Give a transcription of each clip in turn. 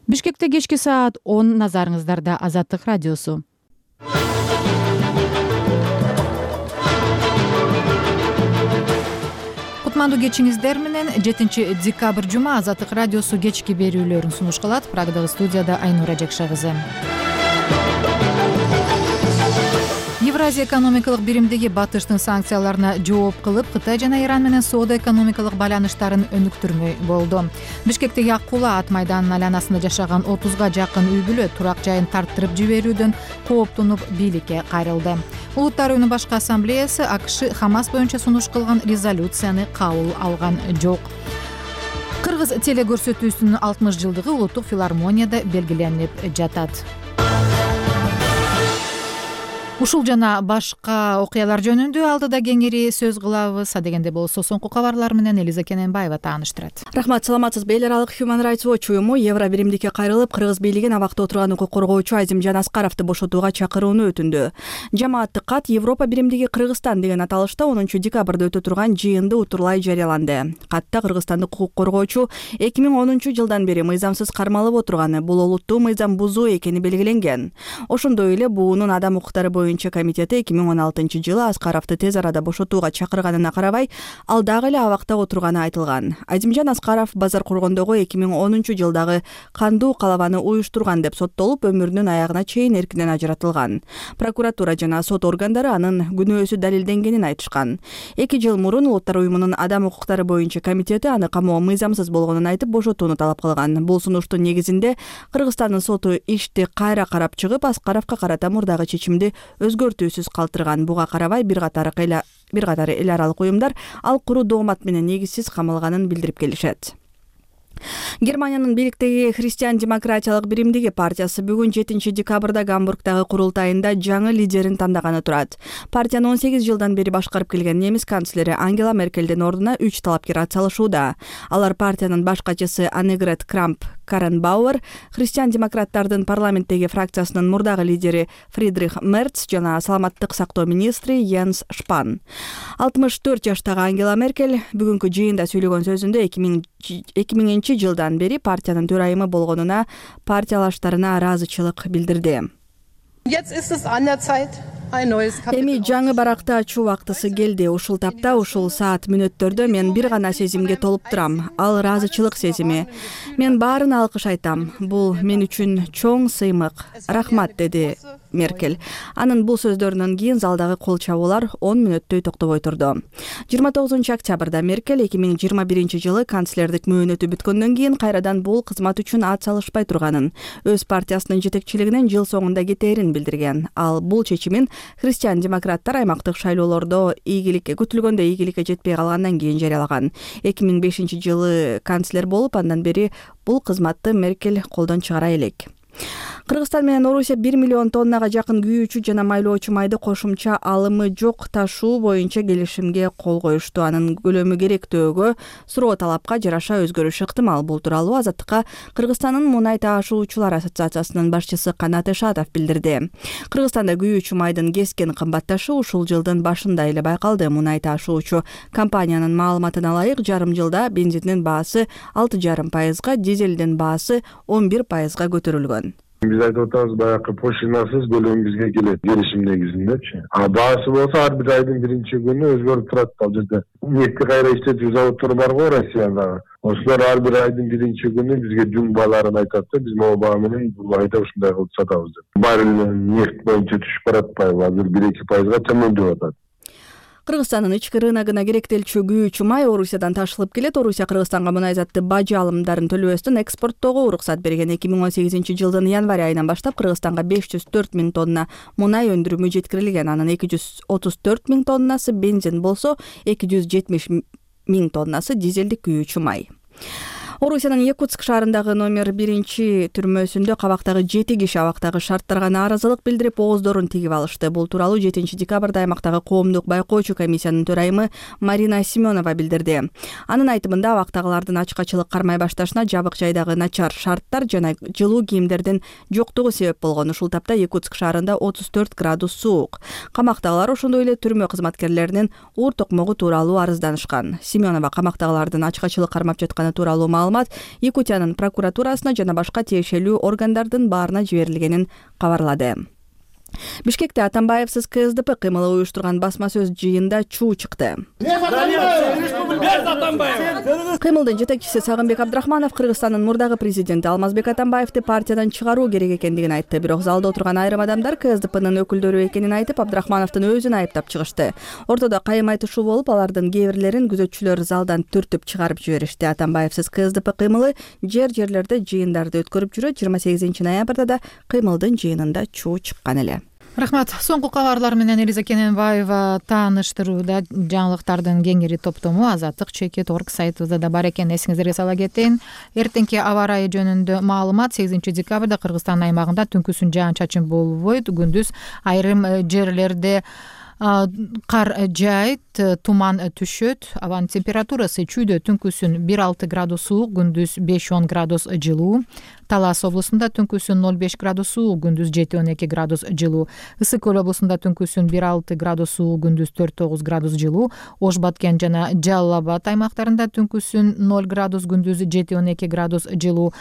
Бишкекте кечки саат 10 назарыңыздарда Азаттык радиосу. Кутмандуу кечиңиздер менен 7 декабрь жума Азаттык радиосу кечки берүүлөрүн сунуш кылат. Прагдагы студияда Айнура Жакша кызы. Евразия экономикалык биримдиги Батыштын санкцияларына жооп кылып, Кытай жана Иран менен соода-экономикалык байланыштарын өнүктүрмөй болду. Бишкектеги Ак Кулаа ат майданынын айланасында жашаган 30га жакын үй бүлө турак жайын тарттырып жиберүүдөн кооптонуп бийликке кайрылды. Улуттар уюмунун башкы ассамблеясы АКШ Хамас боюнча сунуш кылган резолюцияны кабыл алган жок. Кыргыз телекөрсөтүүсүнүн 60 жылдыгы улуттук филармонияда белгиленип жатат. Ушул жана башка окуялар жөнүндө алдыда кеңири сөз кылабыз. Адегенде болсо соңку кабарлар менен Элиза Кененбаева тааныштырат. Рахмат, саламатсызбы? Эл аралык Human Rights Watch уюму Евро биримдикке кайрылып, кыргыз бийлигин абакта отурган укук коргоочу Азимжан Аскаровду бошотууга чакырууну өтүндү. Жамааттык кат Европа биримдиги Кыргызстан деген аталышта 10 декабрда өтө турган жыйынды утурлай жарыяланды. Катта кыргызстандык укук коргоочу 2010 жылдан бери мыйзамсыз кармалып отурганы, бул олуттуу мыйзам бузуу экени белгиленген. Ошондой эле буунун адам укуктары боюнча комитети 2016 жылы Аскаровду тез арада бошотууга чакырганына карабай, ал дагы эле абакта отурганы айтылган. Азимжан Аскаров базар кургондогу 2010 жылдагы кандуу калабаны уюштурган деп соттолуп, өмүрүнүн аягына чейин эркинен ажыратылган. Прокуратура жана сот органдары анын күнөөсү далилденгенин айтышкан. 2 жыл мурун Улуттар уюмунун адам укуктары боюнча комитети аны камоо мыйзамсыз болгонун айтып бошотууну талап кылган. Бул сунуштун негизинде Кыргызстандын соту ишти кайра карап чыгып, Аскаровго карата мурдагы чечимди өзгөртүүсүз калтырган. Буга карабай бир катар эл аралык уюмдар ал куру доомат менен негизсиз камалганын билдирип келишет. Германиянын бийликтеги Христиан-демократиялык биримдиги партиясы бүгүн 7 декабрда Гамбургдагы курултайында жаңы лидерин тандаганы турат. Партияны 18 жылдан бери башкарып келген немис канцлери Ангела Меркелдин ордуна 3 талапкер атсалышууда. Алар партиянын баш катчысы Аннегрет Крамп-Карренбауэр, христиан-демократтардын парламенттеги фракциясынын мурдагы лидери Фридрих Мерц жана саламаттык сактоо министри Йенс Шпан. 64 жаштагы Ангела Меркель бүгүнкү жыйында сүйлөгөн сөзүндө 2000 жылдан бери партиянын төрайымы болгонуна партиялаштарына ыраазычылык билдирди. Эми жаңы баракты ачуу убактысы келди. Ушул тапта, ушул саат мүнөттөрдө мен бир гана сезимге толуп турам. Ал ыраазычылык сезими. Мен баарын алкыш айтам. Бул мен үчүн чоң сыймык. Рахмат, деди Меркель. Анын бул сөздөрүнөн кийин залдагы кол чабуулар 10 мүнөттөй токтобой турду. 29 октябрда Меркель 2021 жылы канцлердик мөөнөтү бүткөндөн кийин кайрадан бул кызмат үчүн ат салышпай турганын, өз партиясынын жетекчилигинен жыл соңунда кетээрин билдирген. Ал бул чечимин христиан-демократтар аймактык шайлоолордо күтүлгөндө ийгиликке жетпей калгандан кийин жарыялаган. 2005 жылы канцлер болуп, андан бери бул кызматты Меркель колдон чыгара элек. Кыргызстан менен Орусия 1 миллион тоннага жакын күйүүчү жана майлоочу майды кошумча алымы жок ташуу боюнча келишимге кол коюшту. Анын көлөмү керектөөгө суроо талапка жараша өзгөрүшү ыктымал. Бул тууралуу Азаттыкка Кыргызстандын мунай таашуучулар ассоциациясынын башчысы Канат Эшатов билдирди. Кыргызстанда күйүүчү майдын кескен кымбатташы ушул жылдын башында эле байкалды. Мунай таашуучу компаниянын маалыматына ылайык, жарым жылда бензиндин баасы 6,5%, дизелдин баасы 11%га көтөрүлгөн. Биз айтып атабыз, баягы пошинасыз көлөм бизге келет келишим негизиндечи. Баасы болсо ар бир айдын биринчи күнү өзгөрүп турат. Ал жерде нефти кайра иштетүү заводдору бар го Россияда. Ошолор ар бир айдын биринчи күнү бизге жүн бааларын айтат да, биз могу баа менен бул айда ушундай кылып сатабыз деп. Баррель нефть боюнча түшүп баратпайбы? Азыр 1-2% төмөндөп атат. Кыргызстандын ички рыногуна керектелчү күйүүчү май Орусиядан ташылып келет. Орусия Кыргызстанга мунай затты бажы алымдарын төлөбөстөн экспорттоого уруксат берген. 2018 жылдын январь айынан баштап Кыргызстанга 504 000 тонна мунай өндүрүмү жеткирилген. Анын 234 000 тоннасы бензин болсо, 270 000 тоннасы дизелдик күйүүчү май. Орусиянын Якутск шаарындагы номер 1 түрмөсүндө кабактагы 7 киши абактагы шарттарга нааразылык билдирип, ооздорун тигип алышты. Бул тууралуу 7 декабрда аймактагы коомдук байкоочу комиссиянын төрайымы Марина Семенова билдирди. Анын айтымында абактагылардын ачкачылык кармай башташына жабык жайдагы начар шарттар жана жылуу кийимдердин жоктугу себеп болгон. Ушул тапта Якутск шаарында 34 градус суук. Камактагылар ошондой эле түрмө кызматкерлеринин уур токмогу тууралуу арызданышкан. Семенова камактагылардын ачкачылык кармап жатканы тууралуу маалымат маалымат Якутиянын прокуратурасына жана башка тиешелүү органдардын баарына жиберилгенин кабарлады. Бишкекте Атамбаевсиз КСДП кыймылы уюштурган басма сөз жыйында чуу чыкты. Кыймылдын жетекчиси Сагынбек Абдрахманов Кыргызстандын мурдагы президенти Алмазбек Атамбаевди партиядан чыгаруу керек экендигин айтты. Бирок залда отурган айрым адамдар КСДПнын өкүлдөрү экенин айтып, Абдрахмановдун өзүн айыптап чыгышты. Ортодо кайым айтышуу болуп, алардын кээ бирлерин күзөтчүлөр залдан түртүп чыгарып жиберишти. Атамбаевсиз КСДП кыймылы жерлерде жыйындарды өткөрүп жүрөт. 28 ноябрда да кыймылдын жыйынында чуу чыккан эле. Рахмат. Соңку кабарлар менен Элиза Кененбаева тааныштырууда. Жаңылыктардын кеңири топтому Азаттык.org сайтыбызда да бар экен. Эсиңиздерге сала кетейин. Эртеңки аба ырайы жөнүндө маалымат. 8 декабрда Кыргызстан аймагында түнкүсүн жаан-чачын болбойт. Күндүз айрым жерлерде кар жаайт, туман түшөт. Абанын температурасы чүйдө түнкүсүн 1-6 градус суук, күндүз 5-10 градус жылуу. Талас облусунда түнкүсүн 0-5 градус суук, күндүз 7-12 градус жылуу. Ысык көл облусунда түнкүсүн 1-6 градус суук, күндүз 4-9 градус жылуу. Ош Баткен жана Жалал Абад аймактарында түнкүсүн 0 градус, күндүз 7-12 градус жылуу.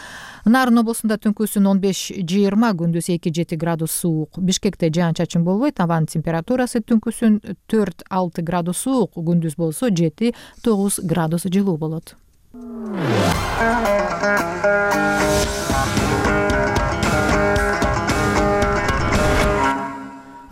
Нарын облусунда түнкүсүн 15-20, күндүз 2-7 градус суук. Бишкекте жаан-чачын болбойт. Абанын температурасы түнкүсүн 4-6 градус суук, күндүз болсо 7-9 градус жылуу болот.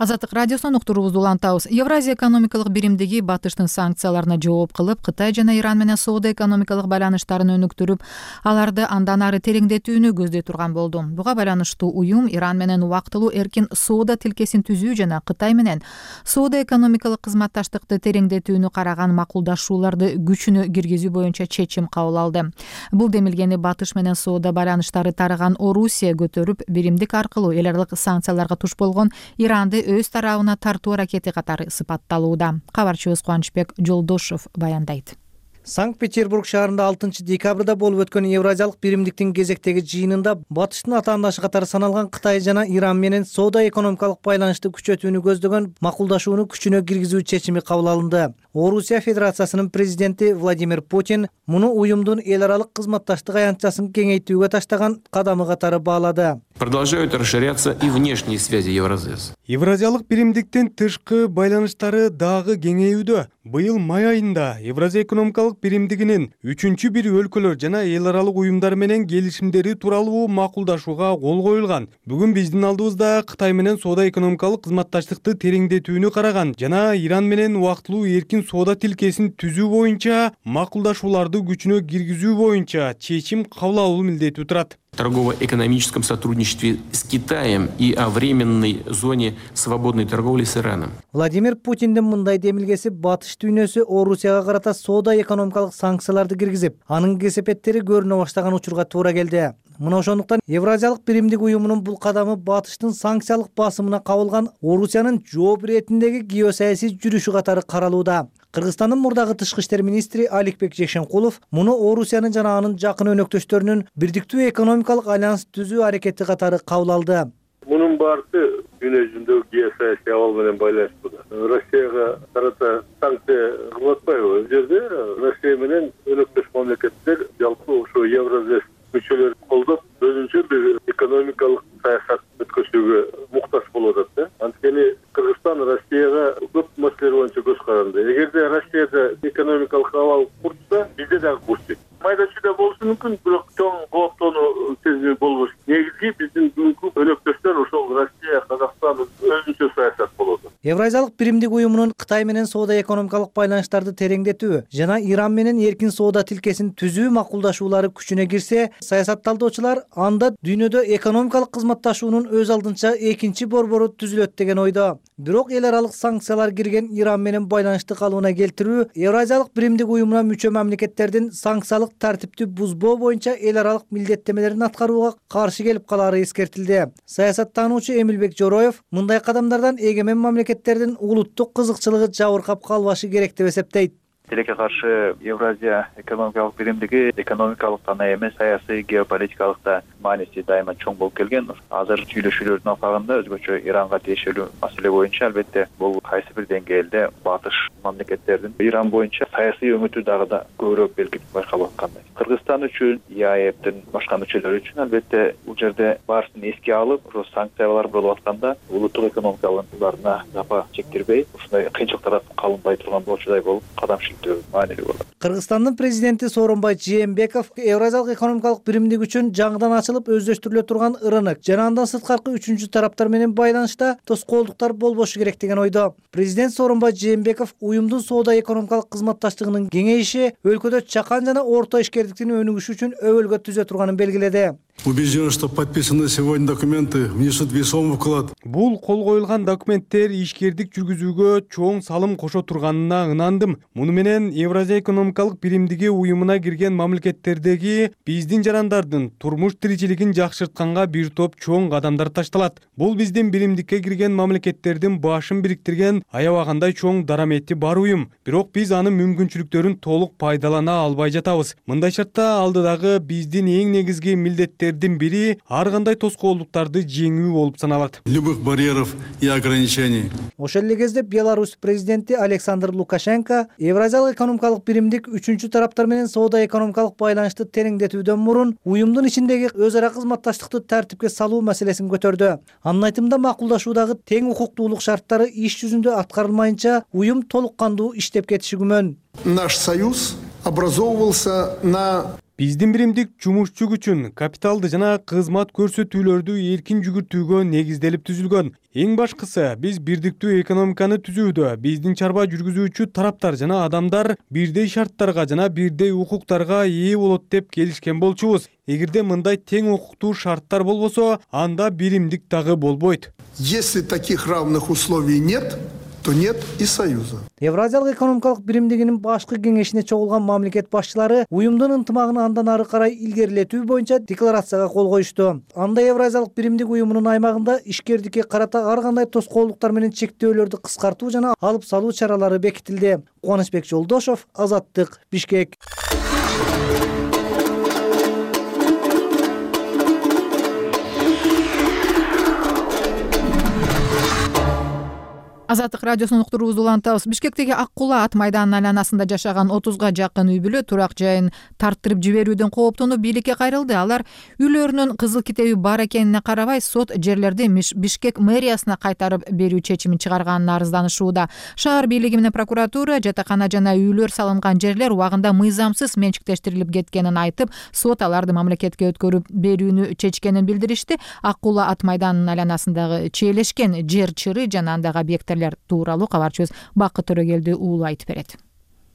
Азаттык радиосунан уктуруубузду улантабыз. Евразия экономикалык биримдиги Батыштын санкцияларына жооп кылып, Кытай жана Иран менен соода-экономикалык байланыштарын өнүктүрүп, аларды андан ары тереңдетүүнү көздөй турган болду. Буга байланыштуу уюм Иран менен убактылуу эркин соода тилкесин түзүү жана Кытай менен соода-экономикалык кызматташтыкты тереңдетүүнү караган макулдашууларды күчүнө киргизүү боюнча чечим кабыл алды. Бул демилгени Батыш менен соода байланыштары тарыган Орусия көтөрүп, биримдик аркылуу эл аралык санкцияларга туш болгон Иранды өз тарабына тартуу аракети катары сыпатталууда. Кабарчыбыз Кубанычбек Жолдошов баяндайт. Санкт-Петербург шаарында 6 декабрда болуп өткөн Евразиялык биримдиктин кезектеги жыйынында Батыштын атаандашы катары саналган Кытай жана Иран менен соода-экономикалык байланышты күчөтүүнү көздөгөн макулдашууну күчүнө киргизүү чечими кабыл алынды. Орусия Федерациясынын президенти Владимир Путин муну уюмдун эл аралык кызматташтык аянтчасын кеңейтүүгө таштаган кадамы катары баалады. Продолжают расширяться и внешние связи Евразес. Евразиялык биримдиктин тышкы байланыштары дагы кеңейүүдө. Быйыл май айында Евразия экономикалык биримдигинин 3-бир өлкөлөр жана эл аралык уюмдар менен келишимдери тууралуу макулдашууга кол коюлган. Бүгүн биздин алдыбызда Кытай менен соода-экономикалык кызматташтыкты тереңдетүүнү караган жана Иран менен убактылуу эркин соода тилкесин түзүү боюнча макулдашууларды күчүнө киргизүү боюнча чечим кабыл алуу милдети турат. Торгово-экономическом сотрудничестве с Китаем и о временной зоне свободной торговли с Ираном. Владимир Путиндин мындай демилгеси Батыш дүйнөсү Орусияга карата соода-экономикалык санкцияларды киргизип, анын кесепеттери көрүнө баштаган учурга туура келди. Мына ошондуктан Евразиялык биримдик уюмунун бул кадамы Батыштын санкциялык басымына кабылган Орусиянын жооп иретиндеги геосаясий жүрүшү катары каралууда. Кыргызстандын мурдагы тышкы иштер министри Аликбек Жекшенкулов муну Орусиянын жана анын жакын өнөктөштөрүнүн бирдиктүү экономикалык альянс түзүү аракети катары кабыл алды. Мунун баардыгы дүйнө жүзүндөгү геосаясий абал менен байланыштуу. Россияга карата санкция кылып атпайбы? Бул жерде Россия менен өнөктөш мамлекеттер жалпы ошо Евразес мүчөлөрүн колдоп, өзүнчө бир экономикалык саясат өткөрүүгө муктаж болуп атат. Анткени Кыргызстан Россияга көп маселелер боюнча көз каранды. Эгерде Россияда экономикалык абал курчса, бизде дагы курчу. Майда чүйдө болушу мүмкүн, бирок чоң кооптонуу сезими болбош. Негизги биздин бүгүнкү өнөктөштөр ошол Россия, Казакстан өзүнчө саясат болот. Евразиялык биримдик уюмунун Кытай менен соода-экономикалык байланыштарды тереңдетүү жана Иран менен эркин соода тилкесин түзүү макулдашуулары күчүнө кирсе, саясатталдоочулар анда дүйнөдө экономикалык кызматташуунун өз алдынча экинчи борбору түзүлөт деген ойдо. Бирок эл аралык санкциялар кирген Иран менен байланышты калыбына келтирүү Евразиялык биримдик уюмуна мүчө мамлекеттердин санкциялык тартипти бузбоо боюнча эл аралык милдеттемелерин аткарууга каршы келип калары эскертилди. Саясаттануучу Эмилбек Жороев мындай кадамдардан эгемен мамлекеттердин улуттук кызыкчылыгы жабыркап калбашы керек деп эсептейт. Тилекке каршы Евразия экономикалык биримдиги экономикалык гана эмес, саясий, геополитикалык да мааниси дайыма чоң болуп келген. Азыр сүйлөшүүлөрдүн алкагында өзгөчө Иранга тиешелүү маселе боюнча албетте бул кайсы бир деңгээлде батыш мамлекеттердин Иран боюнча саясий өңүтү дагы да көбүрөөк белги байкалып аткандай. Кыргызстан үчүн, ИАЭПтин башка мүчөлөрү үчүн албетте бул жерде баарысын эске алып, санкциялар болуп атканда улуттук экономикаларына жапа чектирбей, ушундай кыйынчылыктар калынбай турган болчудай болуп кадам шилтөө маанилүү болот. Кыргызстандын президенти Сооронбай Жээнбеков Евразиялык экономикалык биримдик үчүн жаңыдан ачылып өздөштүрүлө турган рынок жана андан сырткаркы үчүнчү тараптар менен байланышта тоскоолдуктар болбошу керек деген ойдо. Президент Сооронбай Жээнбеков уюмдун соода экономикалык кызматташтыгынын кеңейиши өлкөдө чакан жана орто ишкердиктин өнүгүшү үчүн өбөлгө түзө турганын белгиледи. Убежден, что подписанные сегодня документы внесут весомый вклад. Бул кол коюлган документтер ишкердик жүргүзүүгө чоң салым кошо турганына ынандым. Муну менен Евразия экономикалык биримдиги уюмуна кирген мамлекеттердеги биздин жарандардын турмуш тиричилигин жакшыртканга бир топ чоң кадамдар ташталат. Бул биздин биримдикке кирген мамлекеттердин башын бириктирген аябагандай чоң дарамети бар уюм. Бирок биз анын мүмкүнчүлүктөрүн толук пайдалана албай жатабыз. Мындай шартта алдыдагы биздин эң негизги милдеттердин бири ар кандай тоскоолдуктарды жеңүү болуп саналат. Любых барьеров и ограничений. Ошол эле кезде Беларусь президенти Александр Лукашенко Евразиялык экономикалык биримдик үчүнчү тараптар менен соода экономикалык байланышты тереңдетүүдөн мурун уюмдун ичиндеги өз ара кызматташтыкты тартипке салуу маселесин көтөрдү. Анын айтымында макулдашуудагы тең укуктуулук шарттары иш жүзүндө аткарылмайынча уюм толук кандуу иштеп кетиши күмөн. Наш союз образовывался на Биздин биримдик жумушчу күчүн, капиталды жана кызмат көрсөтүүлөрдү эркин жүгүртүүгө негизделип түзүлгөн. Эң башкысы, биз бирдиктүү экономиканы түзүүдө биздин чарба жүргүзүүчү тараптар жана адамдар бирдей шарттарга жана бирдей укуктарга ээ болот деп келишкен болчубуз. Эгерде мындай тең укуктуу шарттар болбосо, анда биримдик дагы болбойт. Если таких равных условий нет, то нет и союза. Евразиялык экономикалык биримдигинин башкы кеңешине чогулган мамлекет башчылары уюмдун ынтымагын андан ары карай илгерилетүү боюнча декларацияга кол коюшту. Анда Евразиялык биримдик уюмунун аймагында ишкердикке карата ар кандай тоскоолдуктар менен чектөөлөрдү кыскартуу жана алып салуу чаралары бекитилди. Кубанычбек Жолдошов, Азаттык, Бишкек. Азаттык радиосунун уктуруубузду улантабыз. Бишкектеги Ак Кула ат майданынын айланасында жашаган 30га жакын үй бүлө турак жайын тарттырып жиберүүдөн кооптонуп бийликке кайрылды. Алар үйлөрүнүн кызыл китеби бар экенине карабай сот жерлерди Бишкек мэриясына кайтарып берүү чечимин чыгарганына арызданышууда. Шаар бийлиги менен прокуратура жатакана жана үйлөр салынган жерлер убагында мыйзамсыз менчиктештирилип кеткенин айтып, сот аларды мамлекетке өткөрүп берүүнү чечкенин билдиришти. Ак Кула ат майданынын айланасындагы чиелешкен жер чыры жана андагы объекттер тууралуу кабарчыбыз Бакыт Төрөгелди уулу айтып берет.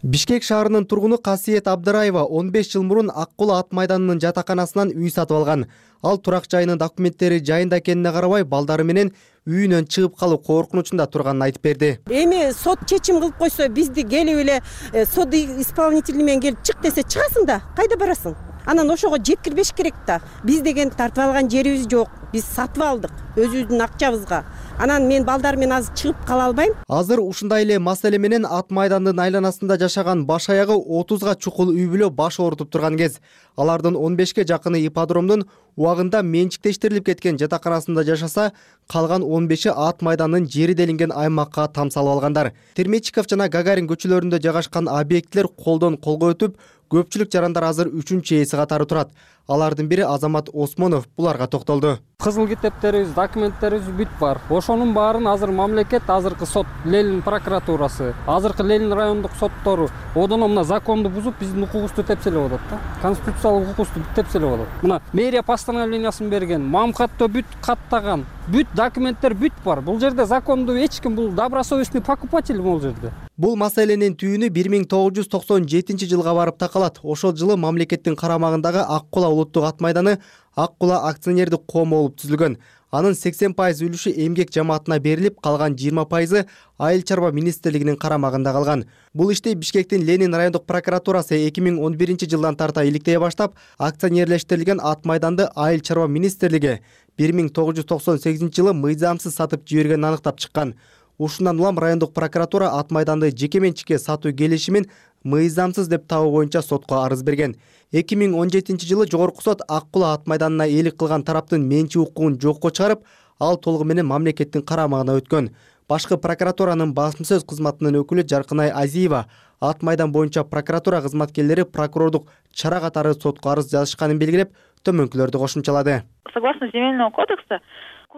Бишкек шаарынын тургуну Касиет Абдыраева 15 жыл мурун Ак Кула ат майданынын жатаканасынан үй сатып алган. Ал турак жайынын документтери жайында экенине карабай балдары менен үйүнөн чыгып калуу коркунучунда турганын айтып берди. Эми сот чечим кылып койсо, бизди келип эле сот исполнители менен келип чык десе чыгасың да, кайда барасың? Анан ошого жеткирбеш керек да. Биз деген тартып алган жерибиз жок. Биз сатып алдык өзүбүздүн акчабызга. Анан мен балдар менен азыр чыгып кала албайм. Азыр ушундай эле маселе менен ат майдандын айланасында жашаган баш аягы 30га чукул үй бүлө баш оорутуп турган кез. Алардын 15ке жакыны ипподромдун убагында менчиктештирилип кеткен жатаканасында жашаса, калган 15и ат майдандын жери делинген аймакка там салып алгандар. Термечиков жана Гагарин көчөлөрүндө жайгашкан объекттер колдон колго өтүп, көпчүлүк жарандар азыр 3-эси катары турат. Алардын бири Азамат Осмонов буларга токтолду. Кызыл китептерибиз, документтерибиз бүт бар. Ошонун баарын азыр мамлекет, азыркы сот, Ленин прокуратурасы, азыркы Ленин райондук соттору одоно мына законду бузуп, биздин укугубузду тепселеп атат да. Конституциялык укугубузду тепселеп атат. Мына мэрия постановлениясын берген, мамкатто бүт каттаган, бүт документтер бүт бар. Бул жерде законду эч ким, бул добросовестный покупатель бул жерде. Бул маселенин түйүнү 1997 жылга барып такалат. Ошол жылы мамлекеттин карамагындагы Ак Кула улуттук ат майданы Ак Кула акционердик коому болуп түзүлгөн. Анын 80% үлүшү эмгек жамаатына берилип, калган 20% айыл чарба министрлигинин карамагында калган. Бул ишти Бишкектин Ленин райондук прокуратурасы 2011 жылдан тарта иликтей баштап, акционерлештирилген ат майданды айыл чарба министрлиги 1998 жылы мыйзамсыз сатып жибергенин аныктап чыккан. Ушундан улам райондук прокуратура ат майданды жеке менчикке сатуу келишимин мыйзамсыз деп табуу боюнча сотко арыз берген. 2017-жылы жогорку сот Ак Кула ат майданына ээлик кылган тараптын менчик укугун жокко чыгарып, ал толугу менен мамлекеттин карамагына өткөн. Башкы прокуратуранын басма сөз кызматынын өкүлү Жаркынай Азиева ат майдан боюнча прокуратура кызматкерлери прокурордук чара катары сотко арыз жазышканын белгилеп, төмөнкүлөрдү кошумчалады. Согласно земельного кодекса,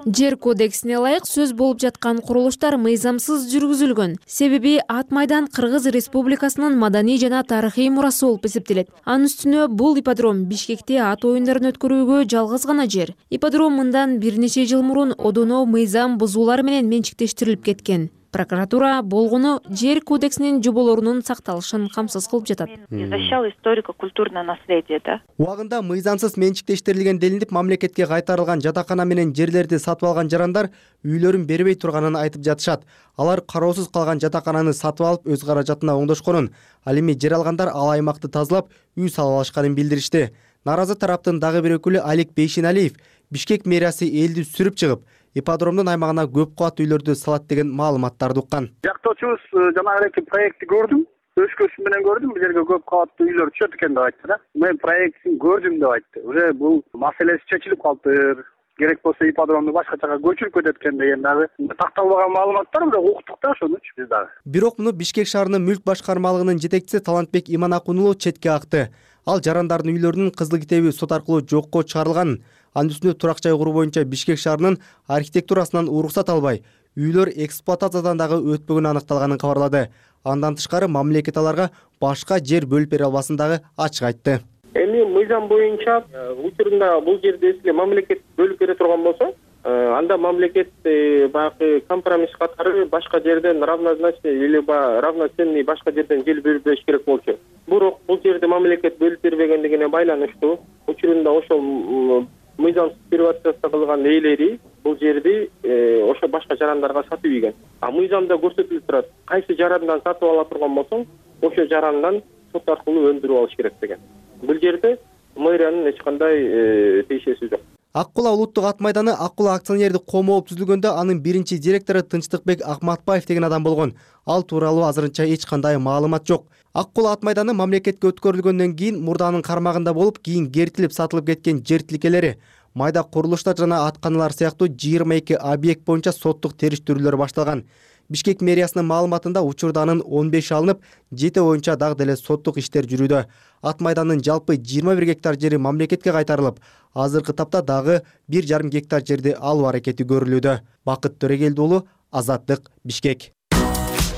Жер кодексине ылайык сөз болуп жаткан курулуштар мыйзамсыз жүргүзүлгөн. Себеби ат майдан Кыргыз Республикасынын маданий жана тарыхый мурасы болуп эсептелет. Анын үстүнө бул ипподром Бишкекте ат оюндарын өткөрүүгө жалгыз гана жер. Ипподром мындан бир нече жыл мурун одоно мыйзам бузуулар менен менчиктештирилип кеткен. Прокуратура болгону жер кодексинин жоболорунун сакталышын камсыз кылып жатат. Защищал историко-культурное наследие, да? Убагында мыйзамсыз менчиктештирилген делинип, мамлекетке кайтарылган жатакана менен жерлерди сатып алган жарандар үйлөрүн бербей турганын айтып жатышат. Алар кароосуз калган жатакананы сатып алып өз каражатына оңдошконун, ал эми жер алгандар ал аймакты тазалап, үй салып алышканын билдиришти. Наразы тараптын дагы бир өкүлү Алик Бейшеналиев Бишкек мэриясы элди сүрүп чыгып, ипподромдун аймагына көп кабат үйлөрдү салат деген маалыматтарды уккан. Жактоочубуз жанагы проектти көрдүм, өз көзүм менен көрдүм, бул жерге көп кабаттуу үйлөр түшөт экен деп айтты да. Мен проектин көрдүм деп айтты. Уже бул маселеси чечилип калыптыр. Керек болсо ипподромду башка жака көчүрүп кетет экен деген дагы такталбаган маалыматтар, бирок уктук да ошонучу биз дагы. Бирок муну Бишкек шаарынын мүлк башкармалыгынын жетекчиси Талантбек Иманакунулу четке акты. Ал жарандардын үйлөрүнүн кызыл китеби сот аркылуу жокко чыгарылганын, анын үстүнө турак жай куруу боюнча Бишкек шаарынын архитектурасынан уруксат албай, үйлөр эксплуатациядан дагы өтпөгөнү аныкталганын кабарлады. Андан тышкары мамлекет аларга башка жер бөлүп бере албасын дагы ачык айтты. Эми мыйзам боюнча учурунда бул жерди сизге мамлекет бөлүп бере турган болсо, анда мамлекет баягы компромисс катары башка жерден равнозначный или равноценный башка жерден жер бөлүп бериш керек болчу. Бирок бул жерди мамлекет бөлүп бербегендигине байланыштуу учурунда ошол мыйзамсыз приватизация кылган ээлери бул жерди ошо башка жарандарга сатып ийген. А мыйзамда көрсөтүлүп турат, кайсы жарандан сатып ала турган болсоң, ошо жарандан сот аркылуу өндүрүп алыш керек деген. Бул жерде мэриянын эч кандай тиешеси жок. Ак Кула улуттук ат майданы Ак Кула акционердик коому болуп түзүлгөндө анын биринчи директору Тынчтыкбек Акматбаев деген адам болгон. Ал тууралуу азырынча эч кандай маалымат жок. Ак Кула ат майданы мамлекетке өткөрүлгөндөн кийин мурданын кармагында болуп, кийин кертилип сатылып кеткен жер тилкелери, майда курулуштар жана атканалар сыяктуу 22 объект боюнча соттук териштирүүлөр башталган. Бишкек мэриясынын маалыматында учурда анын 15 алынып, 7 боюнча дагы деле соттук иштер жүрүүдө. Ат майданын жалпы 21 гектар жери мамлекетке кайтарылып, азыркы тапта дагы 1,5 гектар жерди алуу аракети көрүлүүдө. Бакыт Төрегелди уулу, Азаттык, Бишкек.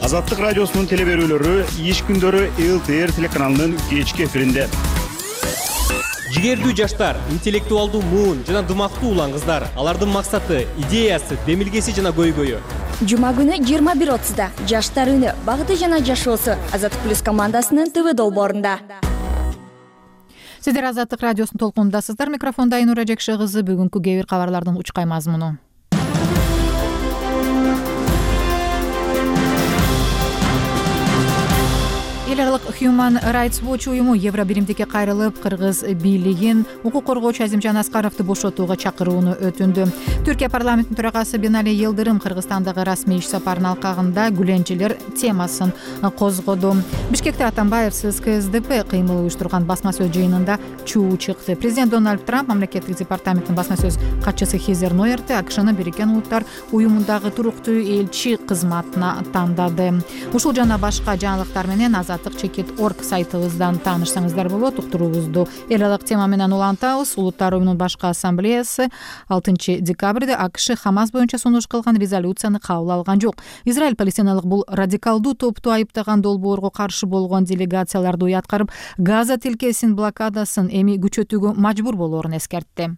Азаттык радиосунун телеберүүлөрү иш күндөрү ЛТР телеканалынын кечки эфиринде. Жигердүү жаштар, интеллектуалдуу муун жана дымактуу улан кыздар, алардын максаты, идеясы, демилгеси жана көйгөйү. Жума күнү 21:30да Жаштар үнү, багыты жана жашоосу Азаттык плюс командасынын ТВ долбоорунда. Сиздер Азаттык радиосунун толкунундасыздар. Микрофондо Айнура Жекше кызы. Бүгүнкү кээ бир кабарлардын учкай мазмуну. Эл аралык Human Rights Watch уюму Евро биримдикке кайрылып, Кыргыз бийлигин укук коргоочу Азим Жанаскаровду бошотууга чакырууну өтүндү. Түркия парламентинин төрагасы Бинали Йылдырым Кыргызстандагы расмий иш сапарынын алкагында гүленчелер темасын козгоду. Бишкекте Атамбаевсиз КСДП кыймыл уюштурган басма сөз жыйынында чуу чыкты. Президент Дональд Трамп мамлекеттик департаменттин басма сөз катчысы Хизер Нойерти АКШны Бириккен Улуттар уюмундагы туруктуу элчи кызматына тандады. Ушул жана башка жаңылыктар менен Чекит.org сайтыбыздан таанышсаңыздар болот. Уктуруубузду эл аралык тема менен улантабыз. Улуттар уюмунун башкы ассамблеясы 6 декабрда АКШ Хамас боюнча сунуш кылган резолюцияны кабыл алган жок. Израиль палестиналык бул радикалдуу топту айыптаган долбоорго каршы болгон делегацияларды уяткарып, Газа тилкесинин блокадасын эми күчөтүүгө мажбур болоорун эскертти.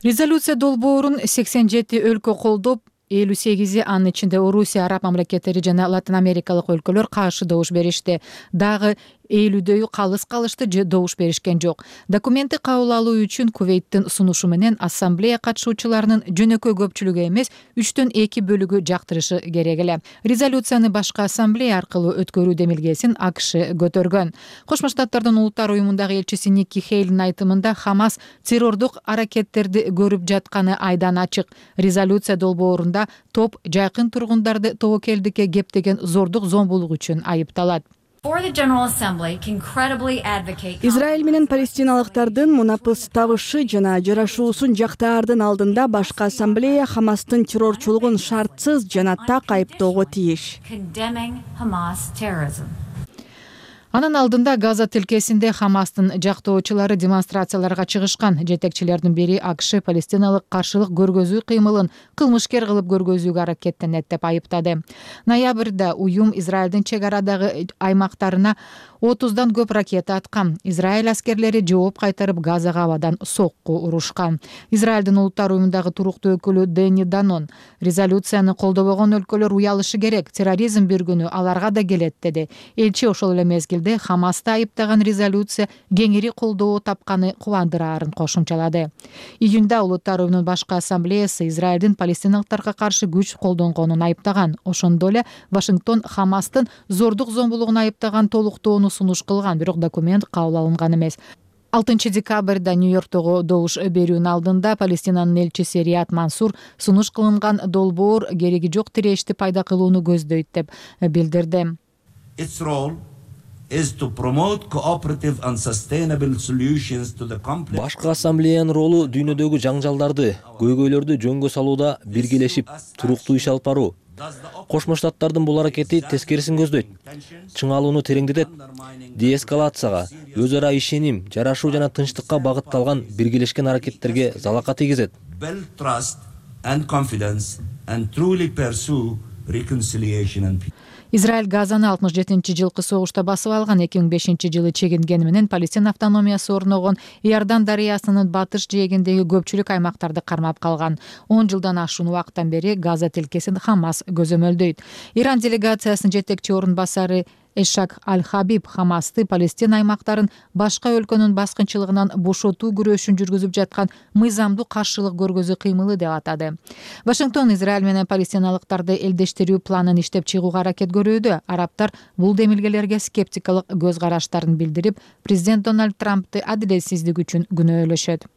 Резолюция долбоорун 87 өлкө колдоп, 58 анын ичинде Орусия, Араб мамлекеттери жана Латин Америкалык өлкөлөр каршы добуш беришти. Дагы ээлүүдөй калыс калышты же добуш беришкен жок. Документти кабыл алуу үчүн Кувейттин сунушу менен ассамблея катышуучуларынын жөнөкөй көпчүлүгү эмес 3/2 бөлүгү жактырышы керек эле. Резолюцияны башкы ассамблея аркылуу өткөрүү демилгесин АКШ көтөргөн. Кошмо Штаттардын улуттар уюмундагы элчиси Никки Хейлин айтымында Хамас террордук аракеттерди көрүп жатканы айдан ачык. Резолюция долбоорунда топ жакын тургундарды тобокелдикке кептеген зордук зомбулук үчүн айыпталат. Израиль менен палестиналыктардын мунапыс табышы жана жарашуусун жактаардын алдында башкы ассамблея Хамастын террорчулугун шартсыз жана так айыптоого тийиш. Анын алдында Газа тилкесинде Хамастын жактоочулары демонстрацияларга чыгышкан. Жетекчилердин бири АКШ палестиналык каршылык көргөзүү кыймылын кылмышкер кылып көргөзүүгө аракеттенет деп айыптады. Ноябрда уюм Израилдин чек арадагы аймактарына 30дан көп ракета аткан. Израиль аскерлери жооп кайтарып Газага абадан сокку урушкан. Израилдин улуттар уюмундагы туруктуу өкүлү Дени Данон резолюцияны колдобогон өлкөлөр уялышы керек, терроризм бир күнү аларга да келет деди. Элчи ошол эле мезгилде Хамасты айыптаган резолюция кеңири колдоо тапканы кубандыраарын кошумчалады. Июнда улуттар уюмунун башкы ассамблеясы Израилдин палестиналыктарга каршы күч колдонгонун айыптаган. Ошондой эле Вашингтон Хамастын зордук зомбулугун айыптаган толуктоону сунуш кылган, бирок документ кабыл алынган эмес. 6 декабрда Нью-Йорктогу добуш берүүнүн алдында Палестинанын элчиси Рият Мансур сунуш кылынган долбоор кереги жок тирешти пайда кылууну көздөйт деп билдирди. Башкы ассамблеянын ролу дүйнөдөгү жаңжалдарды, көйгөйлөрдү жөнгө салууда биргелешип туруктуу иш алып баруу. Кошмо Штаттардын бул аракети тескерисин көздөйт. Чыңалууну тереңдетет, деэскалацияга, өз ара ишеним, жарашуу жана тынчтыкка багытталган биргелешкен аракеттерге залака тийгизет. Израиль Газаны 67-жылкы согушта басып алган, 2005-жылы чегингени менен Палестин автономиясы орногон Иордан дарыясынын батыш жээгиндеги көпчүлүк аймактарды кармап калган. 10 жылдан ашуун убакыттан бери Газа тилкесин Хамас көзөмөлдөйт. Иран делегациясынын жетекчи орун басары Эшак Аль-Хабиб Хамасты Палестин аймактарын башка өлкөнүн баскынчылыгынан бошотуу күрөшүн жүргүзүп жаткан мыйзамдуу каршылык көргөзүү кыймылы деп атады. Вашингтон Израиль менен палестиналыктарды элдештирүү планын иштеп чыгууга аракет көрүүдө. Арабтар бул демилгелерге скептикалык көз караштарын билдирип, президент Дональд Трампты адилетсиздик үчүн күнөөлөшөт.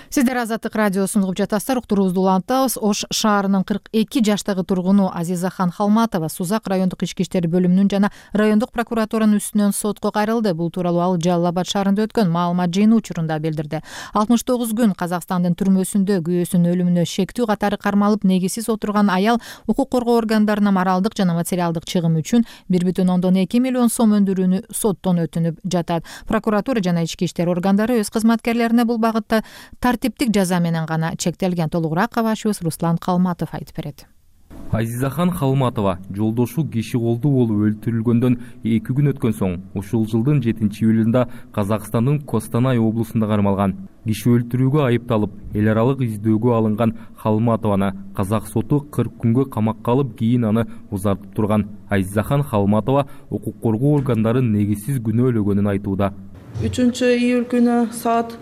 Сиздер Азаттык радиосун угуп жатасыздар. Уктуруубузду улантабыз. Ош шаарынын 42 жаштагы тургуну Азизахан Халматова Сузак райондук ички иштер бөлүмүнүн жана райондук прокуратуранын үстүнөн сотко кайрылды. Бул тууралуу ал Жалал Абад шаарында өткөн маалымат жыйынуу учурунда билдирди. 69 күн Казакстандын түрмөсүндө күйөөсүнүн өлүмүнө шектүү катары кармалып негизсиз отурган аял укук коргоо органдарына моралдык жана материалдык чыгым үчүн 1,2 миллион сом өндүрүүнү соттон өтүнүп жатат. Прокуратура жана ички иштер органдары өз кызматкерлерине бул багытта тартиптик жаза менен гана чектелген. Толугураак кабарчыбыз Руслан Калматов айтып берет. Азизахан Халматова жолдошу киши колдуу болуп өлтүрүлгөндөн 2 күн өткөн соң ушул жылдын 7-июлунда Казакстандын Костанай облусунда кармалган. Киши өлтүрүүгө айыпталып, эл аралык издөөгө алынган Халматованы казак соту 40 күнгө камакка алып, кийин аны узартып турган. Азизахан Халматова укук коргоо органдары негизсиз күнөөлөгөнүн айтууда. 3-июль күнү саат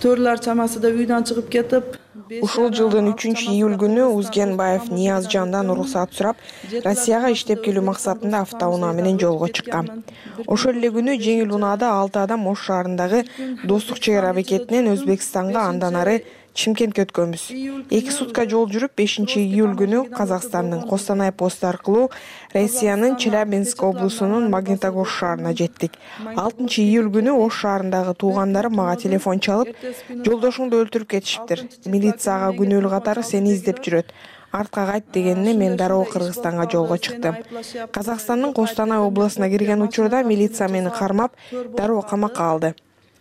4 чамасында үйдөн чыгып кетип, ушул жылдын 3-июль күнү Узгенбаев Ниязжандан уруксат сурап, Россияга иштеп келүү максатында автоунаа менен жолго чыккан. Ошол эле күнү жеңил унаада 6 адам Ош шаарындагы Достук чек ара бекетинен Өзбекстанга, андан ары Чимкентке өткөнбүз. 2 сутка жол жүрүп 5-июль күнү Казакстандын Костанай посту аркылуу Россиянын Челябинск облусунун Магнитогорск шаарына жеттик. 6-июль күнү Ош шаарындагы туугандарым мага телефон чалып, жолдошуңду өлтүрүп кетишиптир. Милицияга күнөөлүү катары сени издеп жүрөт. Артка кайт дегенине мен дароо Кыргызстанга жолго чыктым. Казакстандын Костанай областына кирген учурда милиция мени кармап, дароо камакка алды.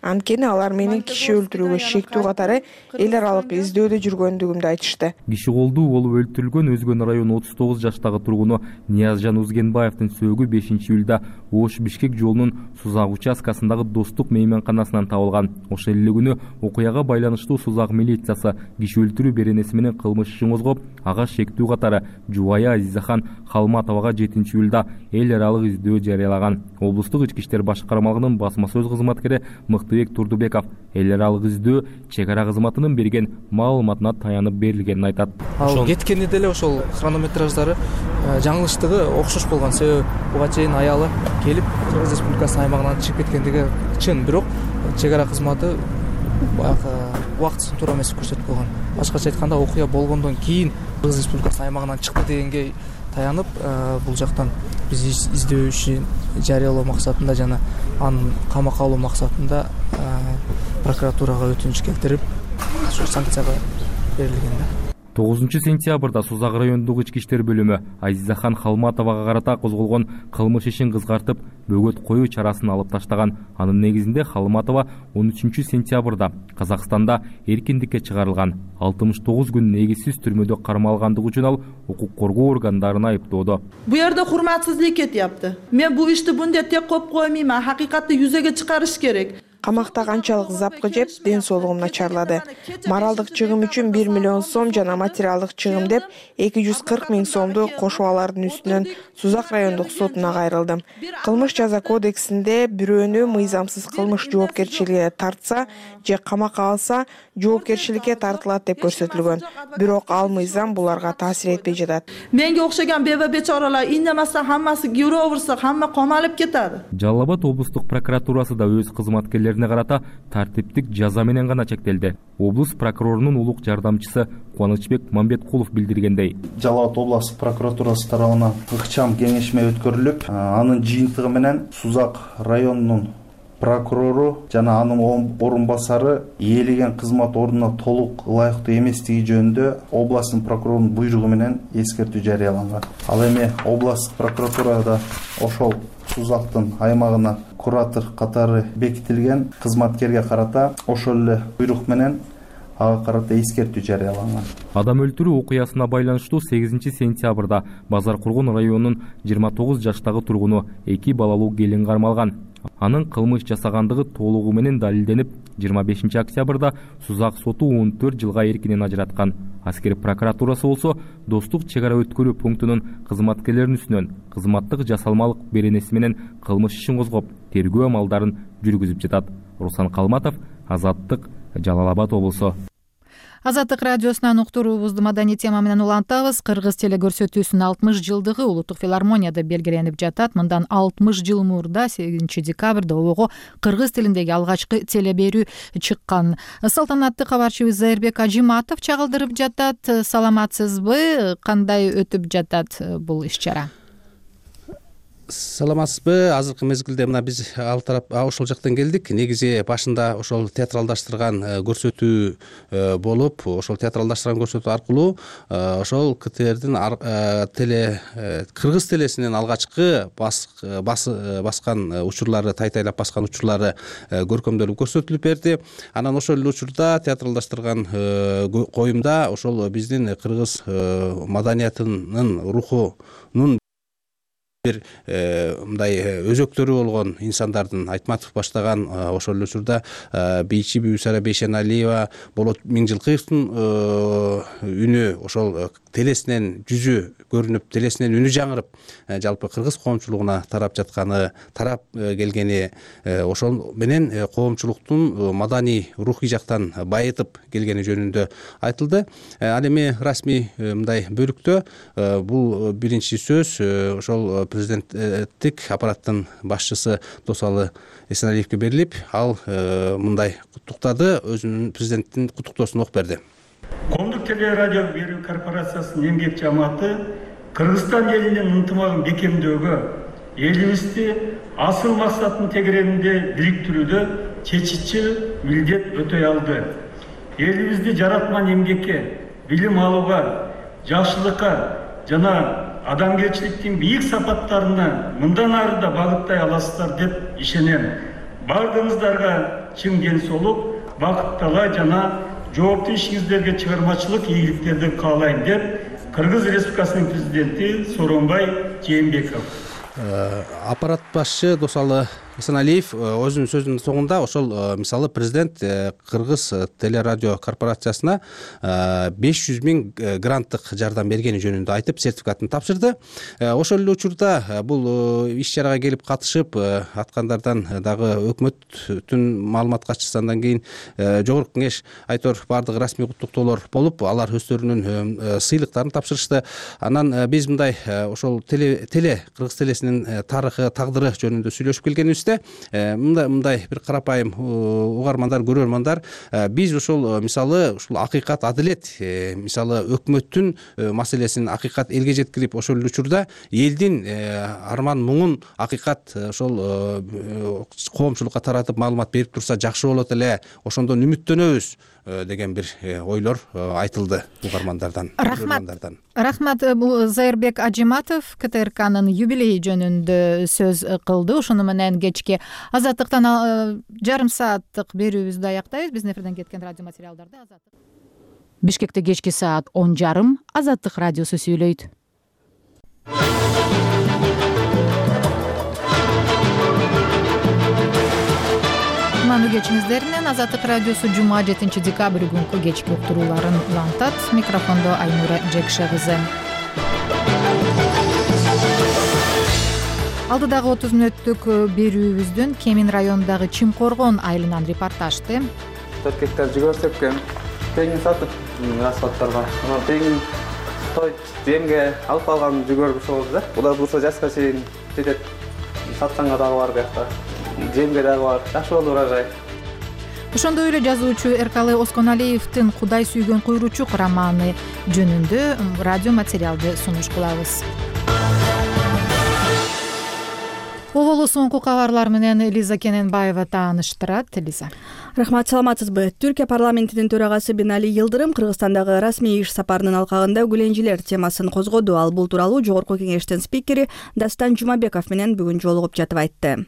Анткени алар менин киши өлтүрүүгө шектүү катары эл аралык издөөдө жүргөндүгүмдү айтышты. Киши колдуу болуп өлтүрүлгөн Өзгөн району 39 жаштагы тургуну Ниязжан Узгенбаевдин сөөгү 5-июлда Ош-Бишкек жолунун Сузак участкасындагы Достук мейманканасынан табылган. Ошол эле күнү окуяга байланыштуу Сузак милициясы киши өлтүрүү беренеси менен кылмыш ишин козгоп, ага шектүү катары жубайы Азизахан Халматовага 7-июлда эл аралык издөө жарыялаган. Облустук ички иштер башкармалыгынын басма сөз кызматкери Мыктыбек Турдубеков эл аралык издөө чек ара кызматынын берген маалыматына таянып берилгенин айтат. Ал кеткенде деле ошол хронометраждары жаңылыштыгы окшош болгон. Себеби буга чейин аялы келип Кыргыз Республикасынын аймагынан чыгып кеткендиги чын, бирок чек ара кызматы убактысын туура эмес көрсөтүп койгон. Башкача айтканда, окуя болгондон кийин Кыргыз Республикасынын аймагынан чыкты дегенге таянып, бул жактан биз издөө ишин жарыялоо максатында жана анын камакка алуу максатында прокуратурага өтүнүч келтирип, санкцияга берилген. 9-сентябрда Сузак райондук ички иштер бөлүмү Азизахан Халматовага карата козголгон кылмыш ишин кызгартып, бөгөт коюу чарасын алып таштаган. Анын негизинде Халматова 13-сентябрда Казакстанда эркиндикке чыгарылган. 69 күн негизсиз түрмөдө кармалгандыгы үчүн ал укук коргоо органдарына айыптоодо. Бу жерде урматсыздык кетиптир. Мен бу ишти мындай тек коюп коймоймун, акыйкатты жүзөгө чыгарыш керек. Камакта канчалык запкы жеп, ден соолугум начарлады. Моралдык чыгым үчүн 1 миллион сом жана материалдык чыгым деп 240 000 сомду кошуп алардын үстүнөн Сузак райондук сотуна кайрылдым. Кылмыш жаза кодексинде бирөөнү мыйзамсыз кылмыш жоопкерчилигине тартса же камакка алса жоопкерчиликке тартылат деп көрсөтүлгөн. Бирок ал мыйзам буларга таасир этпей жатат. Менге окшогон бечоралар индемаса хаммасы гюро урса, хамма камалып кетет. Жалал Абад облустук прокуратурасы да өз кызматкерлерине карата тартиптик жаза менен гана чектелди. Облус прокурорунун улук жардамчысы Кубанычбек Мамбеткулов билдиргендей, Жалал Абад облустук прокуратурасы тарабынан ыкчам кеңешме өткөрүлүп, анын жыйынтыгы менен Сузак районунун прокурору жана анын орун басары ээлеген кызмат ордуна толук ылайыктуу эместиги жөнүндө областтын прокурорунун буйругу менен эскертүү жарыяланган. Ал эми областтык прокуратурада ошол Сузактын аймагына куратор катары бекитилген кызматкерге карата ошол эле буйрук менен ага карата эскертүү жарыяланган. Адам өлтүрүү окуясына байланыштуу 8-сентябрда Базар Кургон районунун 29 жаштагы тургуну 2 балалуу келин кармалган. Анын кылмыш жасагандыгы толугу менен далилденип, 25-октябрда Сузак соту 14 жылга эркинен ажыраткан. Аскер прокуратурасы болсо Достук чек ара өткөрүү пунктунун кызматкерлеринин үстүнөн кызматтык жасалмалык беренеси менен кылмыш ишин козгоп, тергөө амалдарын жүргүзүп жатат. Руслан Калматов, Азаттык, Жалал Абад облусу. Азаттык радиосунан уктуруубузду маданий тема менен улантабыз. Кыргыз телекөрсөтүүсүнүн 60 жылдыгы Улуттук филармонияда белгиленип жатат. Мындан 60 жыл мурда 8-декабрда обого кыргыз тилиндеги алгачкы телеберүү чыккан. Салтанатты кабарчыбыз Зайырбек Ажиматов чагылдырып жатат. Саламатсызбы? Кандай өтүп жатат бул иш-чара? Саламатсызбы? Азыркы мезгилде мына биз ал тарап ошол жактан келдик. Негизи башында ошол театралдаштырган көрсөтүү болуп, ошол театралдаштырган көрсөтүү аркылуу ошол КТРдин кыргыз телесинин алгачкы баскан учурлары, тайтайлап баскан учурлары көркөмдөлүп көрсөтүлүп берди. Анан ошол эле учурда театралдаштырган коюмда ошол биздин кыргыз маданиятынын рухунун бир мындай өзөктөрү болгон инсандардын Айтматов баштаган ошол эле учурда бийчи Бүбүсара Бейшеналиева, Болот Миңжилкыевдин үнү ошол телесинен жүзү көрүнүп, телесинен үнү жаңырып, жалпы кыргыз коомчулугуна тарап жатканы, тарап келгени, ошол менен коомчулуктун маданий рухий жактан байытып келгени жөнүндө айтылды. Ал эми расмий мындай бөлүктө бул биринчи сөз ошол президенттик аппараттын башчысы Досалы Эсеналиевге берилип, ал мындай куттуктады, өзүнүн президенттин куттуктоосун окуп берди. Коомдук телерадио берүү корпорациясынын эмгек жамааты Кыргызстан элинин ынтымагын бекемдөөгө, элибизди асыл максаттын тегерегинде бириктирүүдө чечичи милдет өтөй алды. Элибизди жаратман эмгекке, билим алууга, жакшылыкка жана адамгерчиликтин бийик сапаттарына мындан ары да багыттай аласыздар деп ишенем. Бардыгыңыздарга чың ден соолук, бакыт талай жана жооптуу ишиңиздерге чыгармачылык ийгиликтерди каалайм деп Кыргыз Республикасынын президенти Сооронбай Жээнбеков. Аппарат башчы Досалы Эсеналиев өзүнүн сөзүнүн соңунда ошол мисалы президент Кыргыз телерадио корпорациясына 500 000 гранттык жардам бергени жөнүндө айтып, сертификатын тапшырды. Ошол эле учурда бул иш чарага келип катышып аткандардан дагы өкмөттүн маалымат катчысы, андан кийин жогорку кеңеш айтор баардык расмий куттуктоолор болуп, алар өздөрүнүн сыйлыктарын тапшырышты. Анан биз мындай ошол Кыргыз телесинин тарыхы, тагдыры жөнүндө сүйлөшүп келгенибиз мындай бир карапайым угармандар, көрөрмандар, биз ушул мисалы ушул акыйкат, адилет, мисалы өкмөттүн маселесин акыйкат элге жеткирип, ошол учурда элдин арман муңун акыйкат ошол коомчулукка таратып маалымат берип турса жакшы болот эле, ошондон үмүттөнөбүз деген бир ойлор айтылды угармандардан. Рахмат. Бул Зайырбек Ажиматов КТРКнын юбилейи жөнүндө сөз кылды. Ошону менен кечки Азаттыктан жарым сааттык берүүбүздү аяктайбыз. Биздин эфирден кеткен радио материалдарды Бишкекте кечки саат 10:30 Азаттык радиосу сүйлөйт. Кутмандуу кечиңиздер менен Азаттык радиосу жума 7 декабрь күнкү кечки уктурууларын улантат. Микрофондо Айнура Жекше кызы. Алдыдагы 30 мүнөттүк берүүбүздүн Кемин районундагы Чимкоргон айылынан репортажды. 4 гектар жүгөр сепкен, тегин сатып расходторго, анан тегин земге алып калган жүгөр ошол да. Буга бурса жаска чейин жетет. Сатканга дагы бар биякта. Земге дагы бар. Жакшы болду урожай. Ошондой эле жазуучу Эркалы Осконалиевдин Кудай сүйгөн куйручук романы жөнүндө радио материалды сунуш кылабыз. Оболу соңку кабарлар менен Элиза Кененбаева тааныштырат. Элиза. Рахмат, саламатсызбы? Түркия парламентинин төрагасы Бинали Йылдырым Кыргызстандагы расмий иш сапарынын алкагында гүленжилер темасын козгоду. Ал бул тууралуу Жогорку кеңештин спикери Дастан Жумабеков менен бүгүн жолугуп жатып айтты.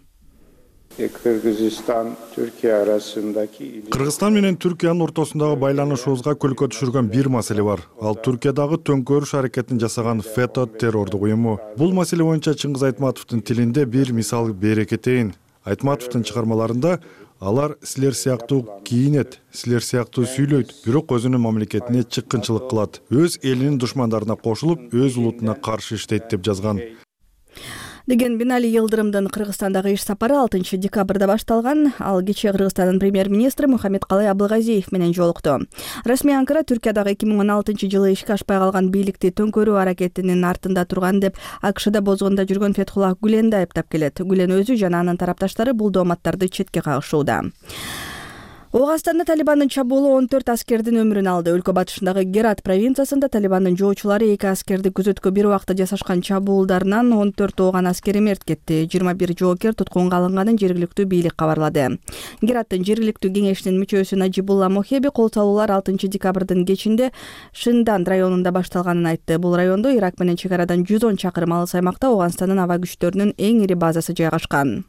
Кыргызстан менен Түркиянын ортосундагы байланышыбызга көлкө түшүргөн бир маселе бар. Ал Түркиядагы төңкөрүш аракетин жасаган ФЭТÖ террордук уюму. Бул маселе боюнча Чыңгыз Айтматовдун тилинде бир мисал бере кетейин. Айтматовдун чыгармаларында алар силер сыяктуу кийинет, силер сыяктуу сүйлөйт, бирок өзүнүн мамлекетине чыккынчылык кылат. Өз элинин душмандарына кошулуп, өз улутуна каршы иштейт деп жазган. Деген Бинали Йылдырымдын Кыргызстандагы иш сапары 6 декабрда башталган. Ал кечээ Кыргызстандын премьер-министри Мухаммедкалый Абылгазиев менен жолукту. Расмий Анкара Түркиядагы 2016 жылы ишке ашпай калган бийликти төңкөрүү аракетинин артында турган деп АКШда бозгонда жүргөн Фетхуллах Гүленди айыптап келет. Гүлен өзү жана анын тарапташтары бул дооматтарды четке кагышууда. Оогастанда Талибандын чабуулу 14 аскердин өмүрүн алды. Өлкө батышындагы Герат провинциясында Талибандын жоочулары 2 аскерди күзөткө бир убакта жасашкан чабуулдарынан 14 ооган аскери мерт кетти. 21 жоокер туткунга алынганын жергиликтүү бийлик кабарлады. Гераттын жергиликтүү кеңешинин мүчөсү Najibullah Mohebe кол салуулар 6 декабрдын кечинде Шиндан районунда башталганын айтты. Бул райондо Ирак менен чек арадан 110 чакырым алыс аймакта Ооганстандын аба күчтөрүнүн эң ири базасы жайгашкан.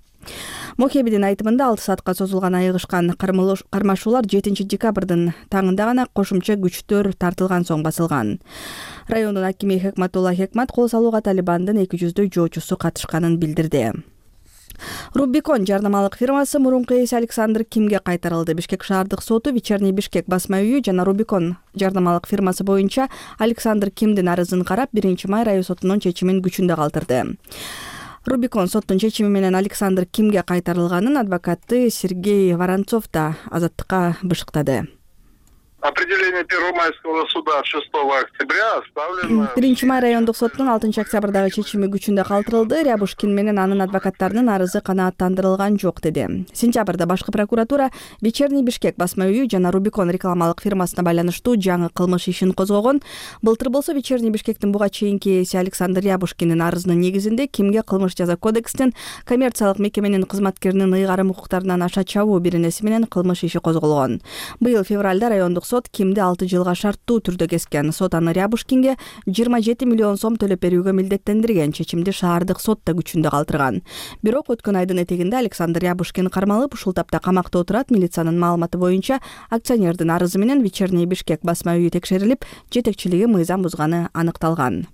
Мохебидин айтымында 6 саатка созулган айыгышкан кармашуулар 7 декабрдын таңында гана кошумча күчтөр тартылган соң басылган. Райондун акими Хекматулла Хекмат кол салууга Талибандын 200 жоочусу катышканын билдирди. Рубикон жарнамалык фирмасы мурунку ээси Александр Кимге кайтарылды. Бишкек шаардык соту Вечерний Бишкек басма үйү жана Рубикон жарнамалык фирмасы боюнча Александр Кимдин арызын карап 1 май район сотунун чечимин күчүндө калтырды. Рубикон соттун чечими менен Александр Кимге кайтарылганын адвокаты Сергей Воронцов да Азаттыкка бышыктады. Определение Первомайского суда 6 октября оставлено. 1 май райондук соттун 6 октябрдагы чечими күчүндө калтырылды. Рябушкин менен анын адвокаттарынын арызы канааттандырылган жок деди. Сентябрда башкы прокуратура Вечерний Бишкек басма үйү жана Рубикон рекламалык фирмасына байланыштуу жаңы кылмыш ишин козгогон. Былтыр болсо Вечерний Бишкектин буга чейинки ээси Александр Рябушкиндин арызынын негизинде Кимге кылмыш жаза кодекстин коммерциялык мекеменин кызматкеринин ыйгарым укуктарынан аша чабуу беренеси менен кылмыш иши козголгон. Быйыл февралда райондук сот сот кимди 6 жылга шарттуу түрдө кескен. Сот аны Рябушкинге 27 миллион сом төлөп берүүгө милдеттендирген. Чечимди шаардык сот да күчүндө калтырган. Бирок өткөн айдын этегинде Александр Рябушкин кармалып, ушул тапта камакта отурат. Милициянын маалыматы боюнча акционердин арызы менен Вечерний Бишкек басма үйү текшерилип, жетекчилиги мыйзам бузганы аныкталган.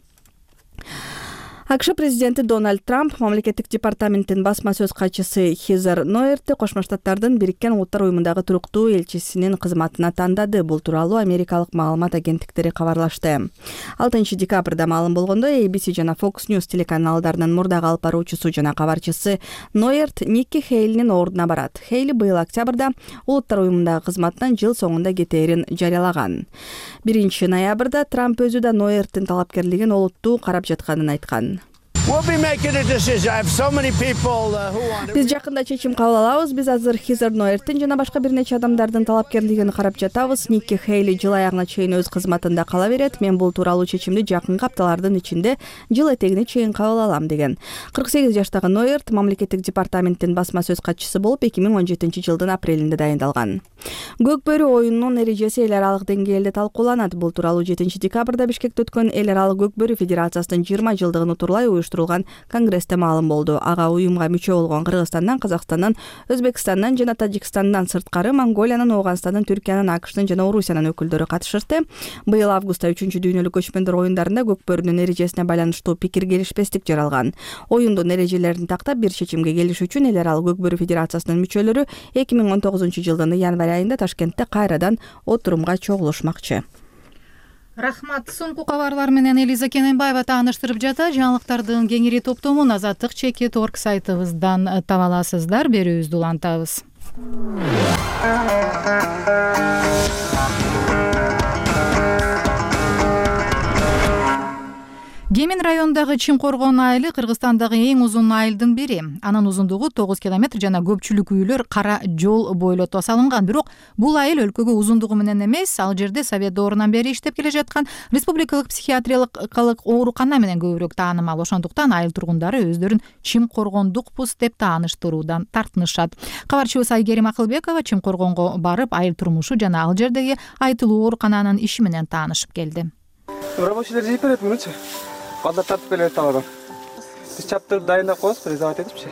АКШ президенти Дональд Трамп мамлекеттик департаменттин басма сөз катчысы Хизер Ноертти Кошмо Штаттардын Бириккен Улуттар уюмундагы туруктуу элчисинин кызматына тандады. Бул тууралуу америкалык маалымат агенттиктери кабарлашты. 6 декабрда маалым болгондо ABC жана Fox News телеканалдарынын мурдагы алып баруучусу жана кабарчысы Ноерт Никки Хейлинин ордуна барат. Хейли быйыл октябрда Улуттар уюмундагы кызматынан жыл соңунда кетээрин жарыялаган. 1 ноябрда Трамп өзү да Ноерттин талапкерлигин олуттуу карап жатканын айткан. Биз жакында чечим кабыл алабыз. Биз азыр Хизер Ноерттин жана башка бир нече адамдардын талапкерлигин карап жатабыз. Никки Хейли жыл аягына чейин өз кызматында кала берет. Мен бул тууралуу чечимди жакынкы апталардын ичинде жыл этегине чейин кабыл алам деген. 48 жаштагы Ноерт мамлекеттик департаменттин басма сөз катчысы болуп 2017 жылдын апрелинде дайындалган. Көк бөрү оюнунун эрежеси эл аралык деңгээлде талкууланат. Бул тууралуу 7 декабрда Бишкекте өткөн эл аралык көк бөрү федерациясынын 20 жылдыгын утурлай уюштурулган конгрессте маалым болду. Ага уюмга мүчө болгон Кыргызстандан, Казакстандан, Өзбекстандан жана Тажикстандан сырткары Монголиянын, Ооганстандын, Түркиянын, АКШтын жана Орусиянын өкүлдөрү катышышты. Быйыл августта 3-дүйнөлүк көчмөндөр оюндарында көк бөрүнүн эрежесине байланыштуу пикир келишпестик жаралган. Оюндун эрежелерин тактап бир чечимге келишүү үчүн эл аралык көк бөрү федерациясынын мүчөлөрү 2019 жылдын январь айында Ташкентте кайрадан отурумга чогулушмакчы. Рахмат. Соңку кабарлар менен Элиза Кененбаева тааныштырып жата. Жаңылыктардын кеңири топтомун Азаттык Чекит.org сайтыбыздан таба аласыздар. Берүүбүздү улантабыз. Кемин районундагы Чимкоргон айылы Кыргызстандагы эң узун айылдын бири. Анын узундугу 9 километр жана көпчүлүк үйлөр кара жол бойлото салынган. Бирок бул айыл өлкөгө узундугу менен эмес, ал жерде Совет доорунан бери иштеп келе жаткан республикалык психиатриялык оорукана менен көбүрөөк таанымал. Ошондуктан айыл тургундары өздөрүн Чимкоргондукпуз деп тааныштыруудан тартынышат. Кабарчыбыз Айгерим Акылбекова Чимкоргонго барып, айыл турмушу жана ал жердеги айтылуу оорукананын иши менен таанышып келди. Рабочийлер жейип берет мунучу. Балдар тартып келет табадан. Биз чаптырып дайындап коебуз, презавать этипчи.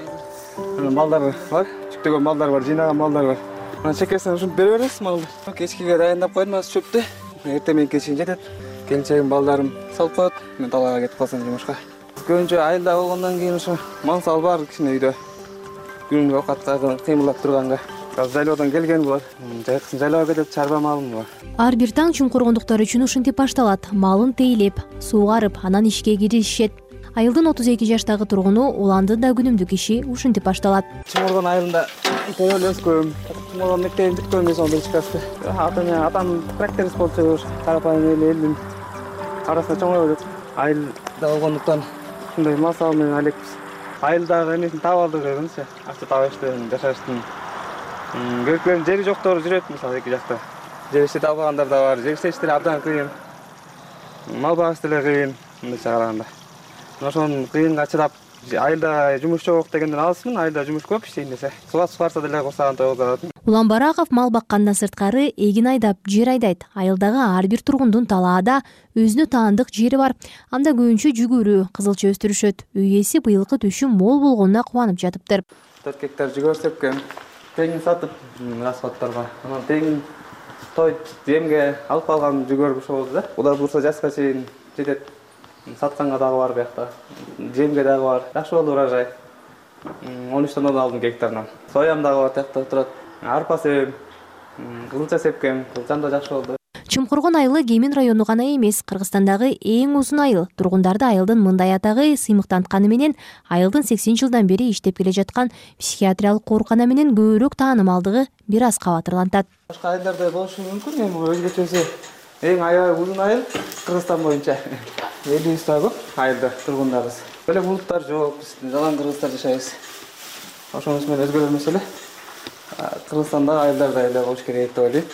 Балдар бар, жүктөгөн балдар бар, жыйнаган балдар бар. Анан чекесинен ушинтип бере беребиз малды. Кечкиге дайындап койдум, азыр чөптү. Эртең менен чейин жетет. Келинчегим, балдарым салып коет. Мен талаага кетип калсам жумушка. Көбүнчө айылда болгондон кийин ошо мал сал бар кичине үйдө. Күнгө оокатка кыймылдап турганга. Азыр жайлоодон келген булар. Жайкысын жайлоого кетип чарба малым бар. Ар бир таң чуңкургондуктар үчүн ушинтип башталат. Малын тейлеп, суугарып, анан ишке киришет. Айылдын 32 жаштагы тургуну уландын да күнүмдүк иши ушинтип башталат. Чуңкургон айылында төрөлүп өскөм. Чуңкургон мектебин бүткөм мен сонун ичкасты. Атам тракторист болчу, карапайым элдин арасында чоңоюп жүрөт. Айылда болгондуктан ушундай мал сал менен айлекпиз. Айылдагы эмесин таап алдык дегенчи. Акча табыштын, жашаштын көркөм жери жоктор жүрөт, мисалы эки жакта. Жер иштете албагандар да бар, жер иштештери абдан кыйын. Мал багыш деле кыйын, мындайча караганда. Ошонун кыйынга чыдап, айылда жумуш жок дегенден алысмын, айылда жумуш көп иштейм десе. Сугат сугарса деле курсаган той болот. Улан Бараков мал баккандан сырткары эгин айдап, жер айдайт. Айылдагы ар бир тургундун талаада өзүнө таандык жери бар. Анда көбүнчө жүгүрү, кызылча өстүрүшөт. Үй ээси быйылкы түшүм мол болгонуна кубанып жатыптыр. 4 гектар жүгөр сепкен. Теңин сатып расходторго. Анан теңин той земге алып калган жүгөр ошол болду да. Кудай буйрса жазга чейин жетет. Сатканга дагы бар биякта. Земге дагы бар. Жакшы болду урожай. 13 тонна алдым гектарынан. Соям дагы бар, тиякта турат. Арпа себем, кызылча сепкем, кызылчам да жакшы болду. Чумкургон айылы Кемин району гана эмес, Кыргызстандагы эң узун айыл. Тургундарды айылдын мындай атагы сыймыктантканы менен айылдын 80 жылдан бери иштеп келе жаткан психиатриялык оорукана менен көбүрөөк таанымалдыгы бир аз кабатырлантат. Башка айылдарда болушу мүмкүн, эми өзгөчөсү эң аябай узун айыл Кыргызстан боюнча. 50-100 көп айылда тургундарыбыз. Эле булуттар жок, биз жалаң кыргыздар жашайбыз. Ошонус менен өзгөрө эмес эле. Кыргызстандагы айылдарда эле болуш керек деп ойлойм.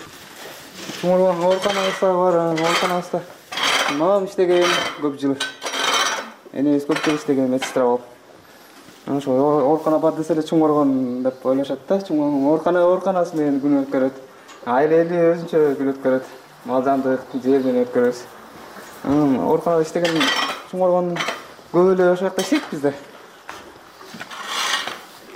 Чуңкургон ооруканабыз бар, ооруканабызда мамам иштеген көп жыл. Энебиз көп жыл иштеген медсестра болуп. Ошо оорукана бар десе эле Чуңкургон деп ойлошот да. Чуңкургон ооруканасы менен күн өткөрөт. Айыл эли өзүнчө күн өткөрөт. мал жандык жер менен өткөрөбүз. Ооруканада иштеген Чуңкоргондун көп эле ошол жакта иштейт бизде.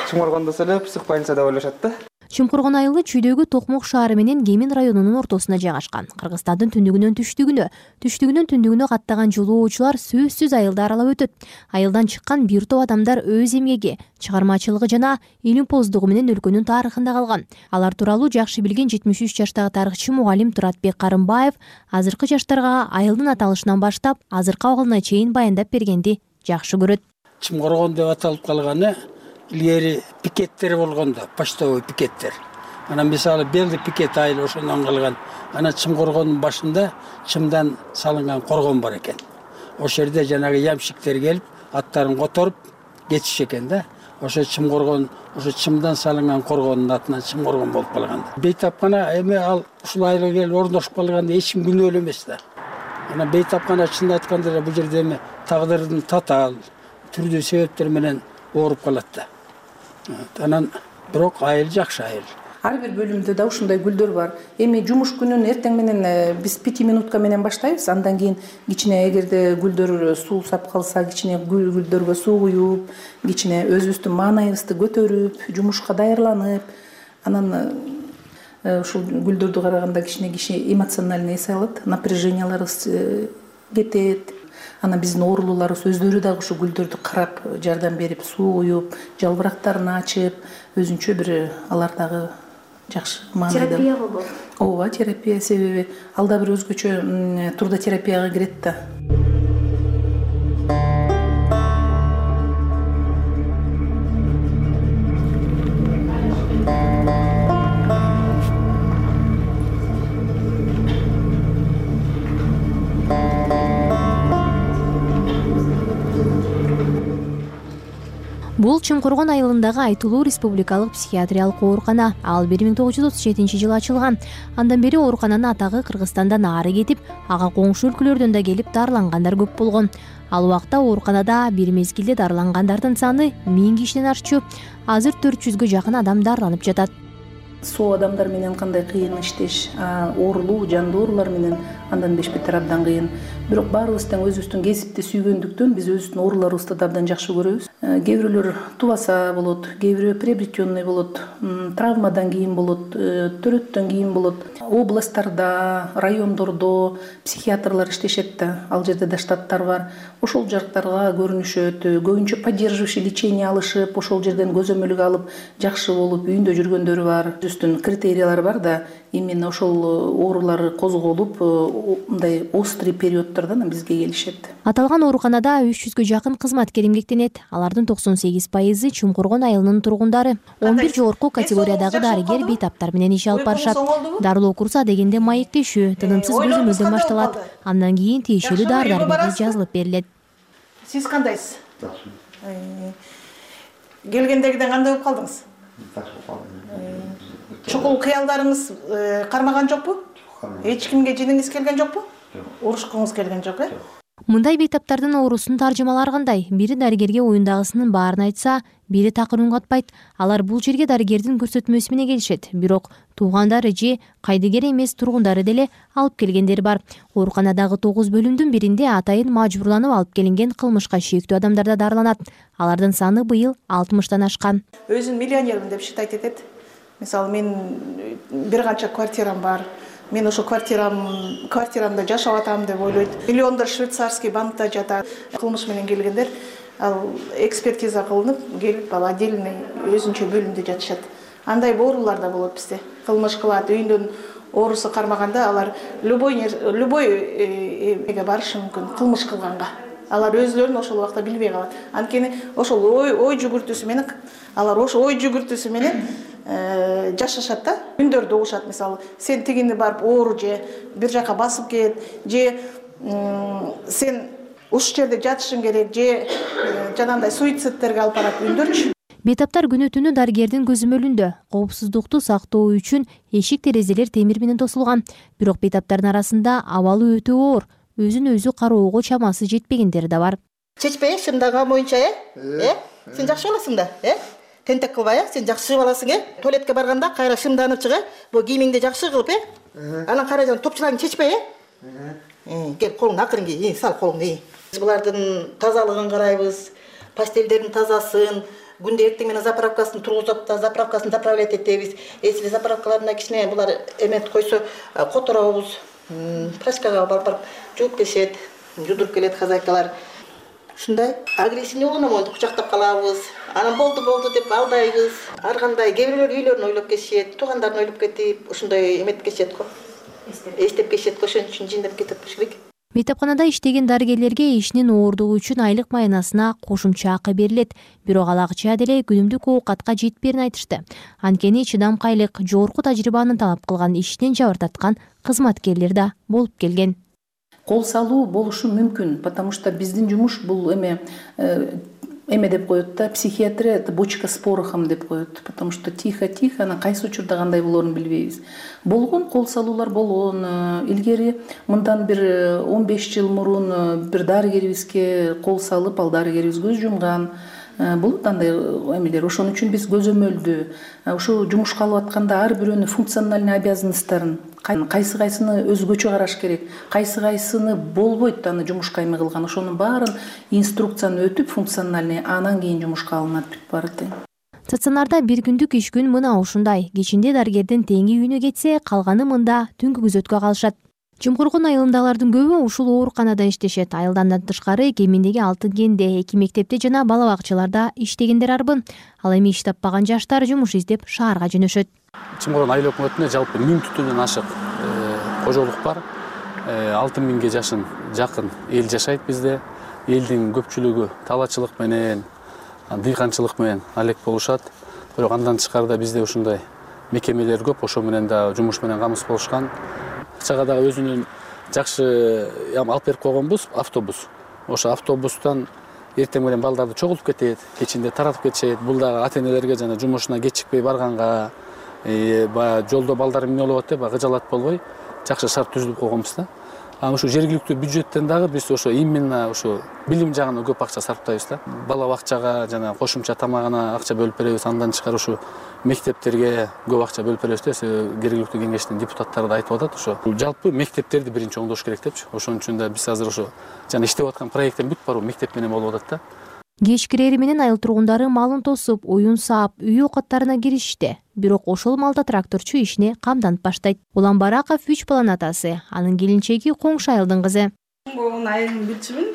Чуңкоргондо эле псих больница деп ойлошот да. Чумкургон айылы чүйдөгү Токмок шаары менен Кемин районунун ортосуна жайгашкан. Кыргызстандын түндүгүнөн түндүгүнө каттаган жолоочулар сөзсүз айылды аралап өтөт. Айылдан чыккан бир топ адамдар өз эмгеги, чыгармачылыгы жана илимпоздугу менен өлкөнүн тарыхында калган. Алар тууралуу жакшы билген 73 жаштагы тарыхчы мугалим Туратбек Карымбаев азыркы жаштарга айылдын аталышынан баштап азыркы абалына чейин баяндап бергенди жакшы көрөт. Чумкоргон деп аталып калганы илгери пикеттер болгондо, почтовый пикеттер. Анан мисалы Белди пикет айыл ошондон калган. Анан Чумкоргондун башында чымдан салынган коргон бар экен. Ошол жерде жанагы ямщиктер келип, аттарын которуп кетиш экен да. Ошо Чумкоргон, ошо чымдан салынган коргондун атынан Чумкоргон болуп калган. Бейтапкана эми ал ушул айылга келип ордошуп калганда эч ким күнөөлүү эмес да. Анан Бейтапкана чынын айтканда эле бул жерде эми тагдырдын татаал түрдүү себептер менен ооруп калат да. Анан бирок айыл жакшы айыл. Ар бир бөлүмдө да ушундай гүлдөр бар. Эми жумуш күнүн эртең менен биз 5 минутка менен баштайбыз. Андан кийин кичине эгерде гүлдөр суусап калса, кичине гүлдөргө суу куюп, кичине өзүбүздүн маанайыбызды көтөрүп, жумушка даярланып, анан ушул гүлдөрдү караганда кичине киши эмоциональный эс алат, напряженияларыбыз кетет. Анан биздин оорулууларыбыз өздөрү дагы ушу гүлдөрдү карап, жардам берип, суу куюп, жалбырактарын ачып, өзүнчө бир алар дагы жакшы маанайда. Терапия болобу? Ооба, терапия, себеби ал да бир өзгөчө трудотерапияга кирет да. Бул Чумкоргон айылындагы айтылуу республикалык психиатриялык оорукана. Ал 1937-жылы ачылган. Андан бери оорукананын атагы Кыргызстандан ары кетип, ага коңшу өлкөлөрдөн да келип дарылангандар көп болгон. Ал убакта ооруканада бир мезгилде дарылангандардын саны 1000 кишиден ашчу. Азыр 400гө жакын адам дарыланып жатат. Соо адамдар менен кандай кыйын иштеш, оорулуу, жандуу оорулар менен андан бешбетер абдан кыйын. Бирок баарыбыз тең өзүбүздүн кесипти сүйгөндүктөн биз өзүбүздүн ооруларыбызды да абдан жакшы көрөбүз. Кээ бирөөлөр тубаса болот, кээ бирөө приобретенный болот, травмадан кийин болот, төрөттөн кийин болот. Областтарда, райондордо психиатрлар иштешет да, ал жерде да штаттар бар. Ошол жактарга көрүнүшөт, көбүнчө поддерживающий лечение алышып, ошол жерден көзөмөлгө алып, жакшы болуп үйүндө жүргөндөр бар. Үстүн критериялар бар да, именно ошол оорулар козголуп, мындай острый периоддордон бизге келишет. Аталган ооруканада 300гө жакын кызматкер эмгектенет. Алардын 98% Чумкоргон айылынын тургундары. 11 жогорку категориядагы дарыгер бейтаптар менен иш алып барышат. Дарылоо курсу адегенде маектешүү, тынымсыз көзөмөлдөн башталат. Андан кийин тиешелүү дары-дармек жазылып берилет. Сиз кандайсыз? Келгендегиден кандай болуп калдыңыз? Чукул кыялдарыңыз кармаган жокпу? Эч кимге жиниңиз келген жокпу? Урушкуңуз келген жок, Мындай бейтаптардын оорусунун таржымалары кандай? Бири дарыгерге оюндагысынын баарын айтса, бири такыр үн катпайт. Алар бул жерге дарыгердин көрсөтмөсү менен келишет. Бирок туугандары же кайдыгер эмес тургундары деле алып келгендер бар. Ооруканадагы 9 бөлүмдүн биринде атайын мажбурланып алып келинген кылмышка шектүү адамдар да дарыланат. Алардын саны быйыл 60тан ашкан. Өзүн миллионермин деп считать этет. Мисалы, мен бир канча квартирам бар. Мен ошо квартирамда жашап атам деп ойлойт. Миллиондор швейцарский банкта жатат. Кылмыш менен келгендер, ал экспертиза кылынып, келип ал отдельный өзүнчө бөлүмдө жатышат. Андай оорулар да болот бизде. Кылмыш кылат, үйүндөн оорусу кармаганда алар любой эмеге барышы мүмкүн, кылмыш кылганга. Алар өзлөрүн ошол убакта билбей калат. Анткени ошол ой жүгүртүүсү менен, алар ошол ой жүгүртүүсү менен жашашат да. Үндөрдү угушат, мисалы, сен тигини барып оору же бир жака басып кет, же сен ушул жерде жатышың керек, же жанагындай суицидтерге алып барат үндөрчү. Бейтаптар күнү-түнү дарыгердин көзөмөлүндө. Коопсуздукту сактоо үчүн эшик-терезелер темир менен тосулган. Бирок бейтаптардын арасында абалы өтө оор, өзүн өзү кароого чамасы жетпегендери да бар. Чечпей, шымдаган боюнча, сен жакшы болосуң да, тентек кылбай, сен жакшы чыгып аласың, туалетке барганда кайра шымданып чыга, бул кийимиңди жакшы кылып, Анан каражан топчуларын чечпей, кел колуңду акырын ки, сал колуңду. Булардын тазалыгын карайбыз, пастелдердин тазасын, күндө эртең менен заправкасын тургузуп, заправкасын заправлять этебиз. Если заправкаларына кичине булар эмет койсо, которобуз, прачкага барып жууп келишет, жудуруп келет хозяйкалар. Ушундай агрессивный болгондо кучактап калабыз. Анан болду деп алдайбыз. Ар кандай кээ бирлер үйлөрүн ойлоп кетишет, туугандарын ойлоп кетип, ушундай эметип кетишет го. Эстеп кетишет го, ошон үчүн жиндеп кетип болуш керек. Мектепканада иштеген дарыгерлерге ишинин ооругу үчүн айлык маянасына кошумча акы берилет. Бирок ал акча деле күнүмдүк оокатка жетпээрин айтышты. Анткени чыдамкайлык, жогорку тажрыйбаны талап кылган ишинен жабыр тарткан кызматкерлер да болуп келген. Кол салуу болушу мүмкүн, потому что биздин жумуш бул эме деп коет да, психиатрия это бочка с порохом деп коет, потому что тихо-тихо, анан кайсы учурда кандай болоорун билбейбиз. Болгон кол салуулар болгон. Илгери мындан бир 15 жыл мурун бир дарыгерибизге кол салып, ал дарыгерибиз көз жумган. Болот андай эмелер. Ошон үчүн биз көзөмөлдү, ушу жумушка алып атканда ар бирөөнүн функциональный обязанностторун, кайсыны өзгөчө караш керек, кайсыны болбойт аны жумушка эме кылган, ошонун баарын инструкцияны өтүп функциональный, анан кийин жумушка алынат бүт баары тең. Стационарда бир күндүк иш күн мына ушундай. Кечинде дарыгердин теңи үйүнө кетсе, калганы мында түнкү күзөткө калышат. Чумкургун айылындагылардын көбү ушул ооруканада иштешет. Айылдан тышкары кеминдеги Алтын кенде, 2 мектепте жана бала бакчаларда иштегендер арбын. Ал эми иш таппаган жаштар жумуш издеп шаарга жөнөшөт. Чумкургун айыл өкмөтүнө жалпы 1000 түтөндөн ашык кожолук бар. 6000 жашын жакын эл жашайт бизде. Элдин көпчүлүгү талаачылык менен, дыйканчылык менен алек болушат. Бирок андан тышкарыда бизде ушундай мекемелер көп, ошо менен да жумуш менен камсыз болушкан. Акчага дагы өзүнүн жакшы алып берип койгонбуз, автобус. Ошо автобустан эртең менен балдарды чогултуп кетет, кечинде таратып кетишет. Бул дагы ата-энелерге жана жумушуна кечикпей барганга, баягы жолдо балдар эмне болот деп кыжалат болбой, жакшы шарт түзүлүп койгонбуз да. Ушу жергиликтүү бюджеттен дагы биз ошо именно ошо билим жагына көп акча сарптайбыз да. Бала бакчага жана кошумча тамагына акча бөлүп беребиз. Андан тышкары ушу мектептерге көп акча бөлүп беребиз да. Жергиликтүү кеңештин депутаттары да айтып атат ошо. Жалпы мектептерди биринчи оңдош керек депчи. Ошон үчүн да биз азыр ошо жана иштеп аткан проекттен бүт баруу мектеп менен болуп атат да. Кеч кирери менен айыл тургундары малын тосуп, уюн саап, үй окаттарына киришти. Бирок ошол малда тракторчу ишине камданып баштайт. Улан Бараков 3 баланын атасы, анын келинчеги коңшу айылдын кызы. Чумкургун айылын билчүмүн.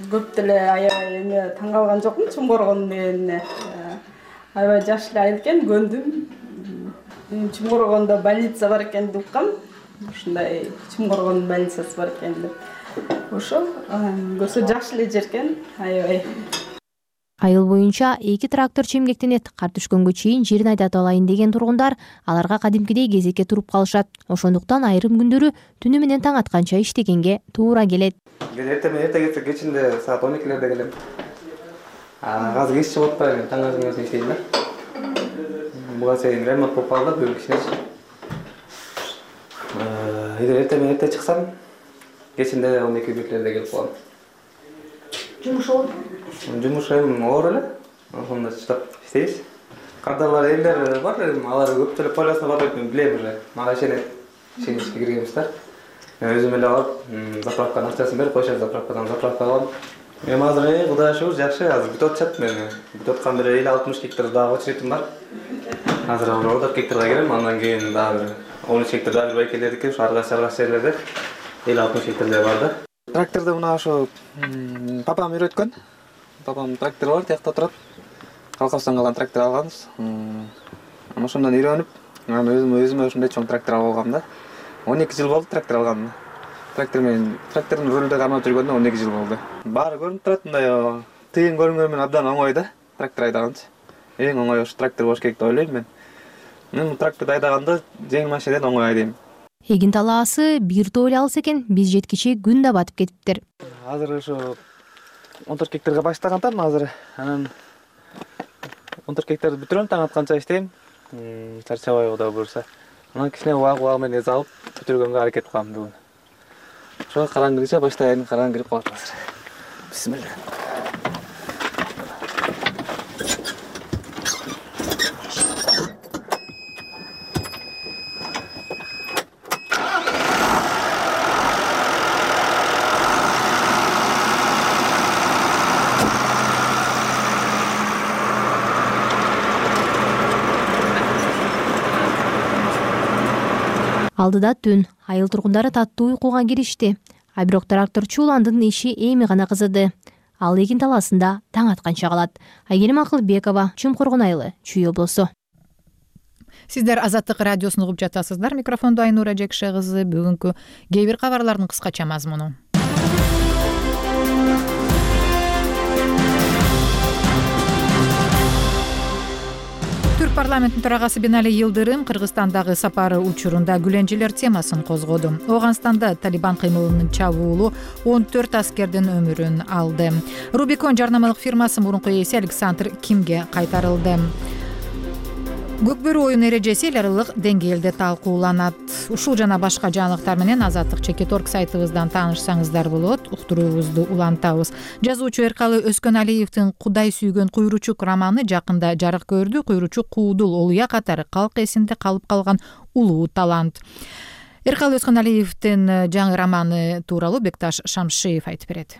Көп деле аябай эме таң калган жокмун. Чумкургун менен аябай жаш эле айыл экен, көндүм. Чумкургунда больница бар экенин уккам. Ушундай Чумкургун больницасы бар экен деп. Ошол көрсө жакшы эле жер экен, аябай. Айыл боюнча 2 трактор чемгектенет. Кар түшкөнгө чейин жерин айдатып алайын деген тургундар аларга кадимкидей кезекке туруп калышат. Ошондуктан айрым күндөрү түнү менен таң атканча иштегенге туура келет. Эрте кетсе кечинде саат 12-лерде келем. Азыр иш чыгып атпайбы, таң атканча иштейм да. Буга чейин ремонт болуп калды, бүгүн кичинечи. Эрте чыксам, кечинде 12-лерде келип калам. Жумуш оор? Жумуш эми оор эле. Ошондо чыдап иштейбиз. Кардалар элдер бар, алар көптөлөп полясына барып мен билем уже. Мага ишенет. Ишеничке киргенбиз да. Өзүм эле алып, заправканын акчасын берип коюшат, заправкадан заправка алам. Эми азыр Кудайга шүгүр жакшы, азыр бүтүп атышат мен. Бүтүп аткан бир 50-60 гектар дагы очередим бар. Азыр 40 гектарга кирем, андан кийин дагы 13 гектар дагы байкелердики, ушу аргаш жерлерде 50-60 гектар бар да. Тракторду мына ошо папам үйрөткөн. Папам трактор бар, тиякта турат. Калкабыздан калган трактор алганбыз. Ошондон үйрөнүп, өзүмө ушундай чоң трактор алып алгам да. 12 жыл болду трактор алгам. Трактордун рулунда кармап жүргөндө 12 жыл болду. Баары көрүнүп турат, мындай тыйын көрүнгөнү менен абдан оңой да, трактор айдаганчы. Эң оңой ошо трактор болуш керек деп ойлойм мен. Мен тракторду айдаганда жеңил машинеден оңой айдайм. Эгин талаасы бир тоо эле алыс экен, биз жеткиче күн да батып кетиптир. Азыр ошо 14 гектарга баштагантам азыр. Анан 14 гектарды бүтүрөм, таң атканча иштейм. Чарчабай Кудай буйрса. Анан кичине убак менен эз алып бүтүргөнгө аракет кылам бүгүн. Ошо караңгыча баштайын, караң кирип калат азыр. Бисмилла. алдыда түн айыл тургундары таттуу уйкуга киришти. А бирок тракторчу уландын иши эми гана кызыды. Ал эгин талаасында таң атканча калат. Айгерим Акылбекова, Чумкоргон айылы, Чүй облусу. Сиздер Азаттык радиосун угуп жатасыздар. Микрофондо Айнура Жекше кызы. Бүгүнкү кээ бир кабарлардын кыскача мазмуну. Түрк парламентинин төрагасы Бинали Йылдырым Кыргызстандагы сапары учурунда гүленжелер темасын козгоду. Оганстанда Талибан кыймылынын чабуулу 14 аскердин өмүрүн алды. Рубикон жарнамалык фирмасы мурунку ээси Александр Кимге кайтарылды. Көкбөрү оюн эрежеси эл аралык деңгээлде талкууланат. Ушул жана башка жаңылыктар менен Азаттык Чекиторг сайтыбыздан таанышсаңыздар болот. Уктуруубузду улантабыз. Жазуучу Эркалы Өскөналиевдин Кудай сүйгөн куйручук романы жакында жарык көрдү. Куйручук Куудул, Олуя катары калк эсинде калып калган улуу талант. Эркалы Өскөналиевдин жаңы романы тууралуу Бекташ Шамшиев айтып берет.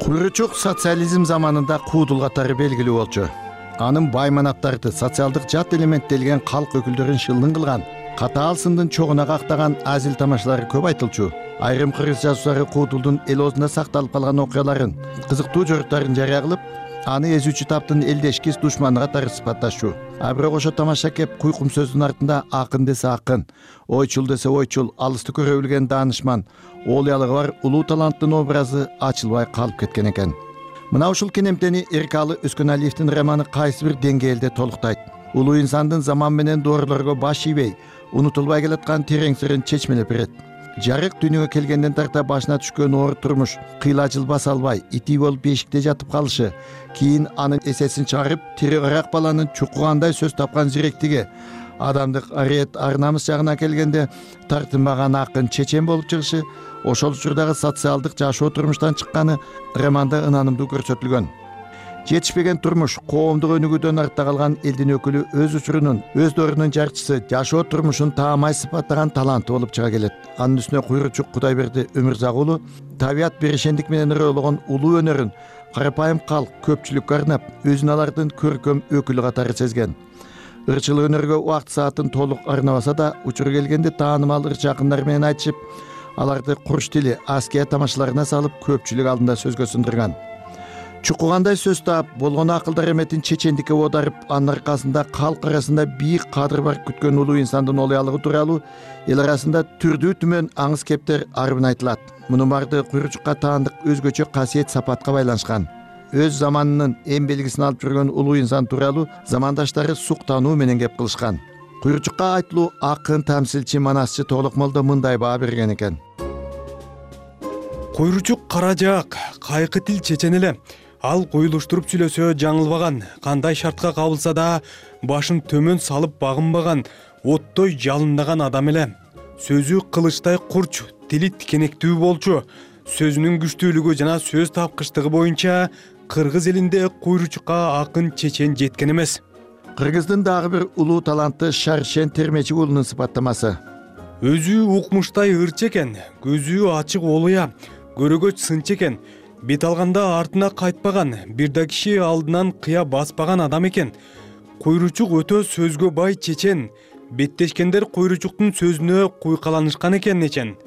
Куйручук социализм заманында Куудул катары белгилүү болчу. Анын бай манаптарды, социалдык жат элементтелген калк өкүлдөрүн шылдың кылган, катаал сындын чогуна кактаган азил тамашалары көп айтылчу. Айрым кыргыз жазуучулары Куудулдун эл оозунда сакталып калган окуяларын, кызыктуу жоруктарын жарыя кылып, аны эзүүчү таптын элдешкис душманы катары сыпатташчу. А бирок ошо тамаша кеп куйкум сөздүн артында акын десе акын, ойчул десе ойчул, алысты көрө билген даанышман, оолуялыгы бар улуу таланттын образы ачылбай калып кеткен экен. Мына ушул кенемтени Эркалы Өскөналиевдин романы кайсы бир деңгээлде толуктайт. Улуу инсандын заман менен доорулорго баш ийбей, унутулбай келаткан терең сырын чечмелеп берет. Жарык дүйнөгө келгенден тарта башына түшкөн оор турмуш, кыйлачыл баса албай, ити болуп бешикте жатып калышы, кийин анын эсесин чыгарып, тири ырак баланын чукугандай сөз тапкан зиректиги, адамдык ариет ар-намыс жагына келгенде тартынбаган акын чечен болуп чыгышы, ошол учурдагы социалдык жашоо турмуштан чыкканы романда ынанымдуу көрсөтүлгөн. Жетишпеген турмуш, коомдук өнүгүүдөн артта калган элдин өкүлү өз учурунун, өз доорунун жарчысы, жашоо турмушун таамай сыпаттаган таланты болуп чыга келет. Анын үстүнө Куйручук Кудайберди Өмүрзак уулу табият берешендик менен ыроологон улуу өнөрүн карапайым калк көпчүлүккө арнап, өзүн алардын көркөм өкүлү катары сезген. Ырчылык өнөргө убакыт саатын толук арнабаса да, учуру келгенде таанымал ырчы акындар менен айтышып, аларды курч тили, аския тамашаларына салып көпчүлүк алдында сөзгө сындырган. Чукугандай сөз таап, болгону акылдар эметин чечендикке оодарып, анын аркасында калк арасында бийик кадыр бар күткөн улуу инсандын олуялыгы тууралуу эл арасында түрдүү түмөн аңыз кептер арбын айтылат. Мунун баардыгы Куйручукка таандык өзгөчө касиет сапатка байланышкан. Өз заманынын эң белгисин алып жүргөн улуу инсан тууралуу замандаштары суктануу менен кеп кылышкан. Куйручукка айтылуу акын, тамсилчи, манасчы Толук молдо мындай баа берген экен. Куйручук кара жаак, кайкы тил чечен эле. Ал коюлуштуруп сүйлөсө жаңылбаган, кандай шартка кабылса да башын төмөн салып багынбаган, оттой жалындаган адам эле. Сөзү кылычтай курч, тили тикенектүү болчу. Сөзүнүн күчтүүлүгү жана сөз тапкычтыгы боюнча кыргыз элинде Куйручукка акын чечен жеткен эмес. Кыргыздын дагы бир улуу таланты Шаршен Термечи уулунун сыпаттамасы. Өзү укмуштай ырчы экен, көзү ачык олуя, көрөгөч сынчы экен. Бет алганда артына кайтпаган, бир да киши алдынан кыя баспаган адам экен. Куйручук өтө сөзгө бай чечен. Беттешкендер Куйручуктун сөзүнө куйкаланышкан экен эчен.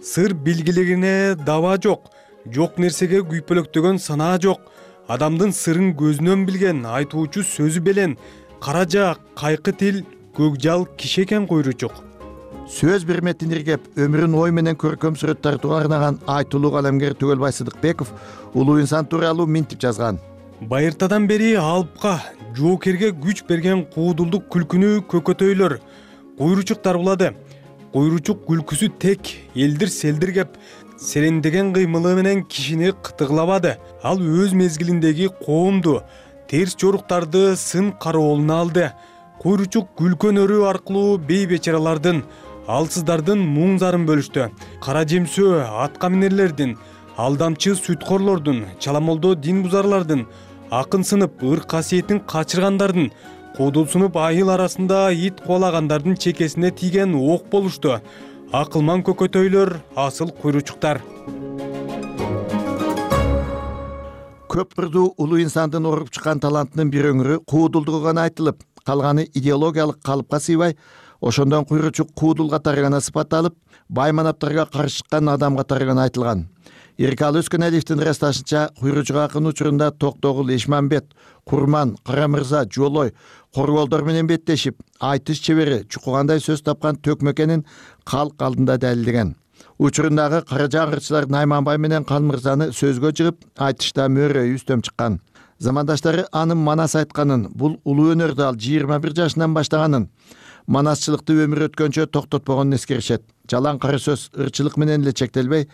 Сыр билгилигине даба жок, жок нерсеге күйпөлөктөгөн санаа жок. Адамдын сырын көзүнөн билген, айтуучу сөзү белен, кара жаак, кайкы тил, көкжал киши экен Куйручук. Сөз берметин иргеп, өмүрүн ой менен көркөм сүрөт тартууга арнаган айтылуу калемгер Түгөлбай Сыдыкбеков улуу инсан тууралуу минтип жазган. Байыртадан бери алыпка, жоокерге күч берген куудулдук күлкүнү көкөтөйлөр Куйручук дарбулады. Куйручук күлкүсү тек, элдир селдир кеп, серендеген кыймылы менен кишини кытыглабады. Ал өз мезгилиндеги коомду, терс жоруктарды сын кароолуна алды. Куйручук күлкөн өрү аркылуу бейбечаралардын, алсыздардын муң зарын бөлүштү. Кара жемсөө, атка минерлердин, алдамчы сүткорлордун, чаламолдо дин бузарлардын, акын сынып ыр касиетин качыргандардын, куудулсунуп айыл арасында ит куалагандардын чекесине тийген ок болушту. Акылман көкөтөйлөр асыл Куйручуктар. Көп кырдуу улуу инсандын оруп чыккан талантынын бир өңүрү куудулдугу гана айтылып, калганы идеологиялык калыпка сыйбай, ошондон куйручук куудул катары гана сыпатталып, бай манаптарга каршы чыккан адам катары гана айтылган. Иркалы Өскөнәлиевдин ырасташынча, куйручук акын учурунда Токтогул, Эшмамбет, Курман, Карамырза, Жолой, Корголдор менен беттешип, айтыш чебери чукугандай сөз тапкан Төкмөкенин калк алдында далилдеген. Учурундагы кара жаңгырчылар Найманбай менен Канмырзаны сөзгө жыгып, айтышта мөөрөй үстөм чыккан. Замандаштары анын манас айтканын, бул улуу өнөрдү ал 21 жашынан баштаганын, манасчылыкты өмүр өткөнчө токтотпогонун эскеришет. Жалаң кара сөз ырчылык менен эле чектелбей,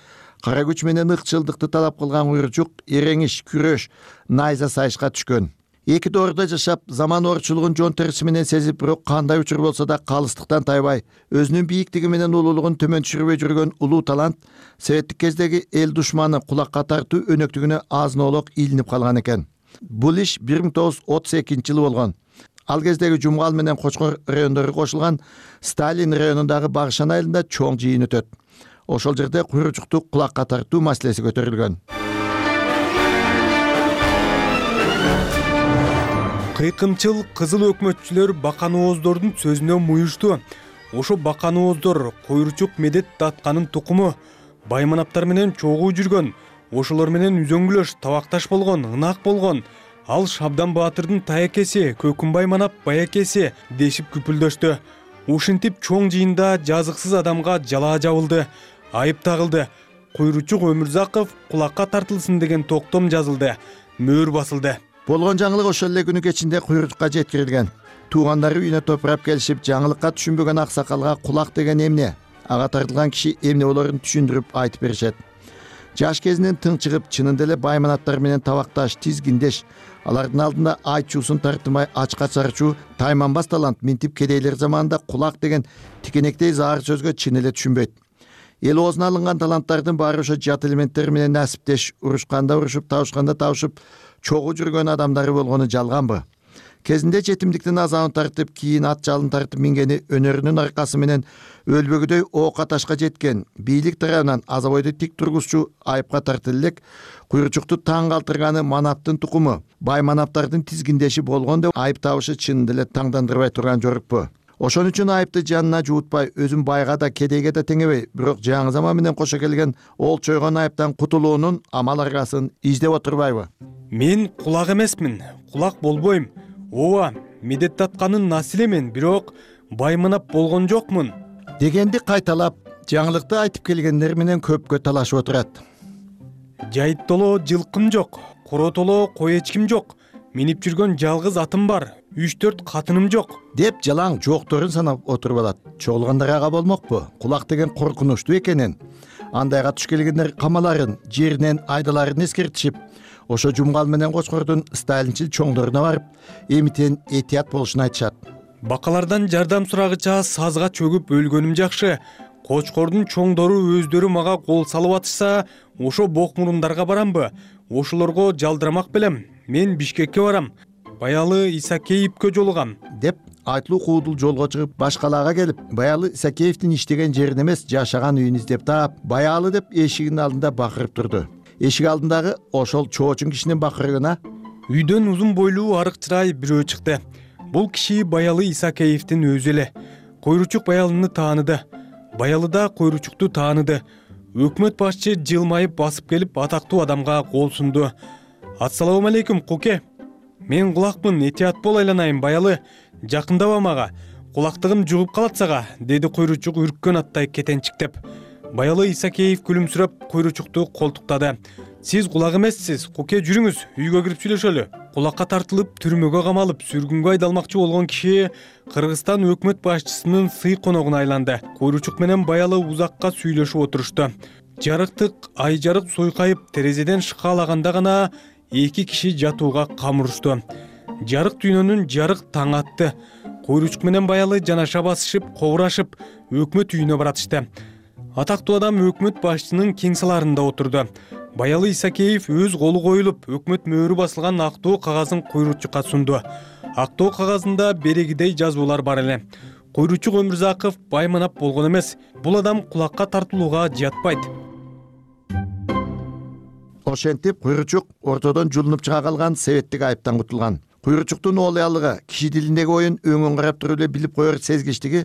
кара күч менен ыкчылдыкты талап кылган куйручук эреңиш, күрөш, найза сайышка түшкөн. Эки доордо жашап, заман орчулугун жон териси менен сезип, бирок кандай учур болсо да калыстыктан тайбай, өзүнүн бийиктиги менен улуулугун төмөн түшүрбөй жүргөн улуу талант советтик кездеги эл душманы кулакка тартуу өнөктүгүнө азын-оолок илинип калган экен. Бул иш 1932-жылы болгон. Ал кездеги Жумгал менен Кочкор райондору кошулган Сталин районундагы Багышан айылында чоң жыйын өтөт. Ошол жерде куйручукту кулакка тартуу маселеси көтөрүлгөн. Кыйкымчыл кызыл өкмөтчүлөр Баканооздордун сөзүнө муюшту. Ошо Баканооздор куйручук Медет Датканын тукуму, байманаптар менен чогуу жүргөн, ошолор менен үзөңгүлөш, табакташ болгон, ынак болгон. Ал Шабдан Баатырдын таякеси, Көкүнбай манап баякеси дешип күпүлдөштү. Ушинтип чоң жыйында жазыксыз адамга жалаа жабылды, айып тагылды. Куйручук Өмүрзаков кулакка тартылсын деген токтом жазылды, мөөр басылды. Болгон жаңылык ошол эле күнү кечинде куйручукка жеткирилген. Туугандары үйүнө топурап келишип, жаңылыкка түшүнбөгөн аксакалга кулак деген эмне? Ага тартылган киши эмне болорун түшүндүрүп айтып беришет. Жаш кезинен тың чыгып, чынында эле байманаттар менен табакташ, тизгиндеш, алардын алдында айтчуусун тартымай ачка чарчуу тайманбас талант минтип кедейлер заманында кулак деген тикенектей заар сөзгө чын эле түшүнбөйт. Эл оозуна алынган таланттардын баары ошо жат элементтер менен насиптеш, урушканда урушуп, табышканда табышып, чогуу жүргөн адамдары болгону жалганбы? Кезинде жетимдиктин азабын тартып, кийин ат жалын тартып мингени өнөрүнүн аркасы менен өлбөгүдөй оокка ташка жеткен, бийлик тарабынан азабойду тик тургузчу айыпка тартылып элек, куйручукту таң калтырганы манаптын тукуму, бай манаптардын тизгиндеши болгон деп айып табышы чынында эле таңдандырбай турган жорукпу? Ошон үчүн айыпты жанына жуутпай, өзүн байга да кедейге да теңебей, бирок жаңы заман менен кошо келген ол чойгон айыптан кутулуунун амал аргасын издеп отурбайбы? Мен кулак эмесмин, кулак болбойм. Ооба, Медет Датканын наслимен, бирок байманап болгон жокмун дегенди кайталап, жаңылыкты айтып келгендер менен көпкө талашып отурат. Жайыттоло жылкым жок, коротоло кой эчким жок, минип жүргөн жалгыз атым бар, 3-4 катыным жок деп жалаң жокторун санап отуруп алат. Чогулгандар ага болмокпу? Кулак деген коркунучтуу экенин, андайга туш келгендер камаларын, жеринен айдаларын эскертишип, ошо Жумгал менен Кочкордун сталинчил чоңдоруна барып, эмитен этият болушун айтышат. Бакалардан жардам сурагыча сазга чөгүп өлгөнүм жакшы. Кочкордун чоңдору өздөрү мага кол салып атышса, ошо бок мурундарга барамбы? Ошолорго жалдырамак белем. Мен Бишкекке барам. Баялы Исакеевке жолугам деп айтылуу куудул жолго чыгып, башкалаага келип, Баялы Исакеевдин иштеген жерин эмес, жашаган үйүн издеп таап, Баялы деп эшигинин алдында бакырып турду. Эшик алдындагы ошол чоочун кишинин бакырыгына үйдөн узун бойлуу арык чырай бирөө чыкты. Бул киши Баялы Исакеевдин өзү эле. Куйручук Баялыны тааныды. Баялы да Куйручукту тааныды. Өкмөт башчы жылмайып басып келип, атактуу адамга кол сунду. Ассаламу алейкум, Куке. Мен кулакмын, этият бол, айланайын, Баялы. Жакындаба мага. Кулактыгым жугуп калат сага, деди Куйручук үрккөн аттай кетенчиктеп. Баялы Исакеев күлүмсүрөп Куйручукту колтуктады. Сиз кулак эмессиз, Куке, жүрүңүз, үйгө кирип сүйлөшөлү. Кулакка тартылып, түрмөгө камалып, сүргүнгө айдалмакчы болгон киши Кыргызстан өкмөт башчысынын сый коногуна айланды. Куйручук менен Баялы узакка сүйлөшүп отурушту. Жарыктык ай жарык суйкайып, терезеден шыкалаганда гана эки киши жатууга камырушту. Жарык дүйнөнүн жарык таң атты. Куйручук менен Баялы жанаша басышып, кобурашып, өкмөт үйүнө баратышты. Атактуу адам өкмөт башчысынын кең саларында отурду. Баялы Исакеев өз колу коюлуп, өкмөт мөөрү басылган актоо кагазын Куйручукка сунду. Актоо кагазында берегидей жазуулар бар эле. Куйручук Өмүрзаков байманап болгон эмес. Бул адам кулакка тартылууга жатпайт. Ошентип Куйручук ортодон жулунуп чыга калган советтик айыптан кутулган. куйручуктун оолуялыгы, киши тилиндеги оюн өңүн карап туруп эле билип коер сезгичтиги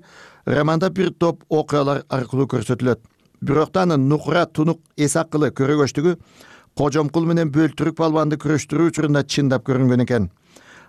романда бир топ окуялар аркылуу көрсөтүлөт. Бирок да анын нукура, тунук, эс акылы, көрөгөчтүгү Кожомкул менен Бөлтүрүк балбанды күрөштүрүү учурунда чындап көрүнгөн экен.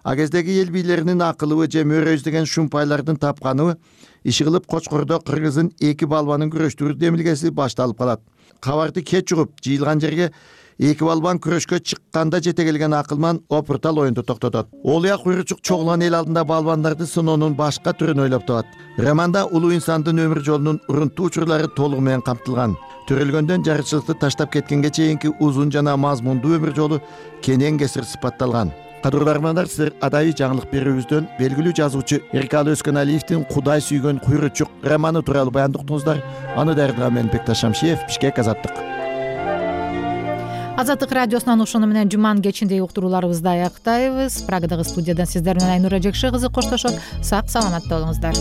А кездеги эл бийлеринин акылыбы же мөөрө издеген шумпайлардын тапканыбы иши кылып Кочкордо кыргыздын 2 балбанын күрөштүрүү демилгеси башталып калат. Кабарды кеч угуп, жыйылган жерге 2 балбан күрөшкө чыкканда жете келген акылман опуртал оюнду токтотот. Оолуя куйручук чогулган эл алдында балбандарды сыноонун башка түрүн ойлоп табат. Романда улуу инсандын өмүр жолунун урунттуу учурлары толугу менен камтылган. Төрөлгөндөн жарычылыкты таштап кеткенге чейинки узун жана мазмундуу өмүр жолу кенен кесир сыпатталган. Кадырлуу армандар, сиздер адайы жаңылык берүүбүздөн белгилүү жазуучу Эркалы Өскөналиевдин Кудай сүйгөн куйручук романы тууралуу баяндыктыңыздар. Аны даярдаган мен Бекташ Шамшиев, Бишкек, Азаттык. Азаттык радиосунан ушуну менен жуманын кечиндеги уктурууларыбызды аяктайбыз. Прагадагы студиядан сиздер менен Айнура Жекше кызы коштошот. Сак саламатта болуңуздар.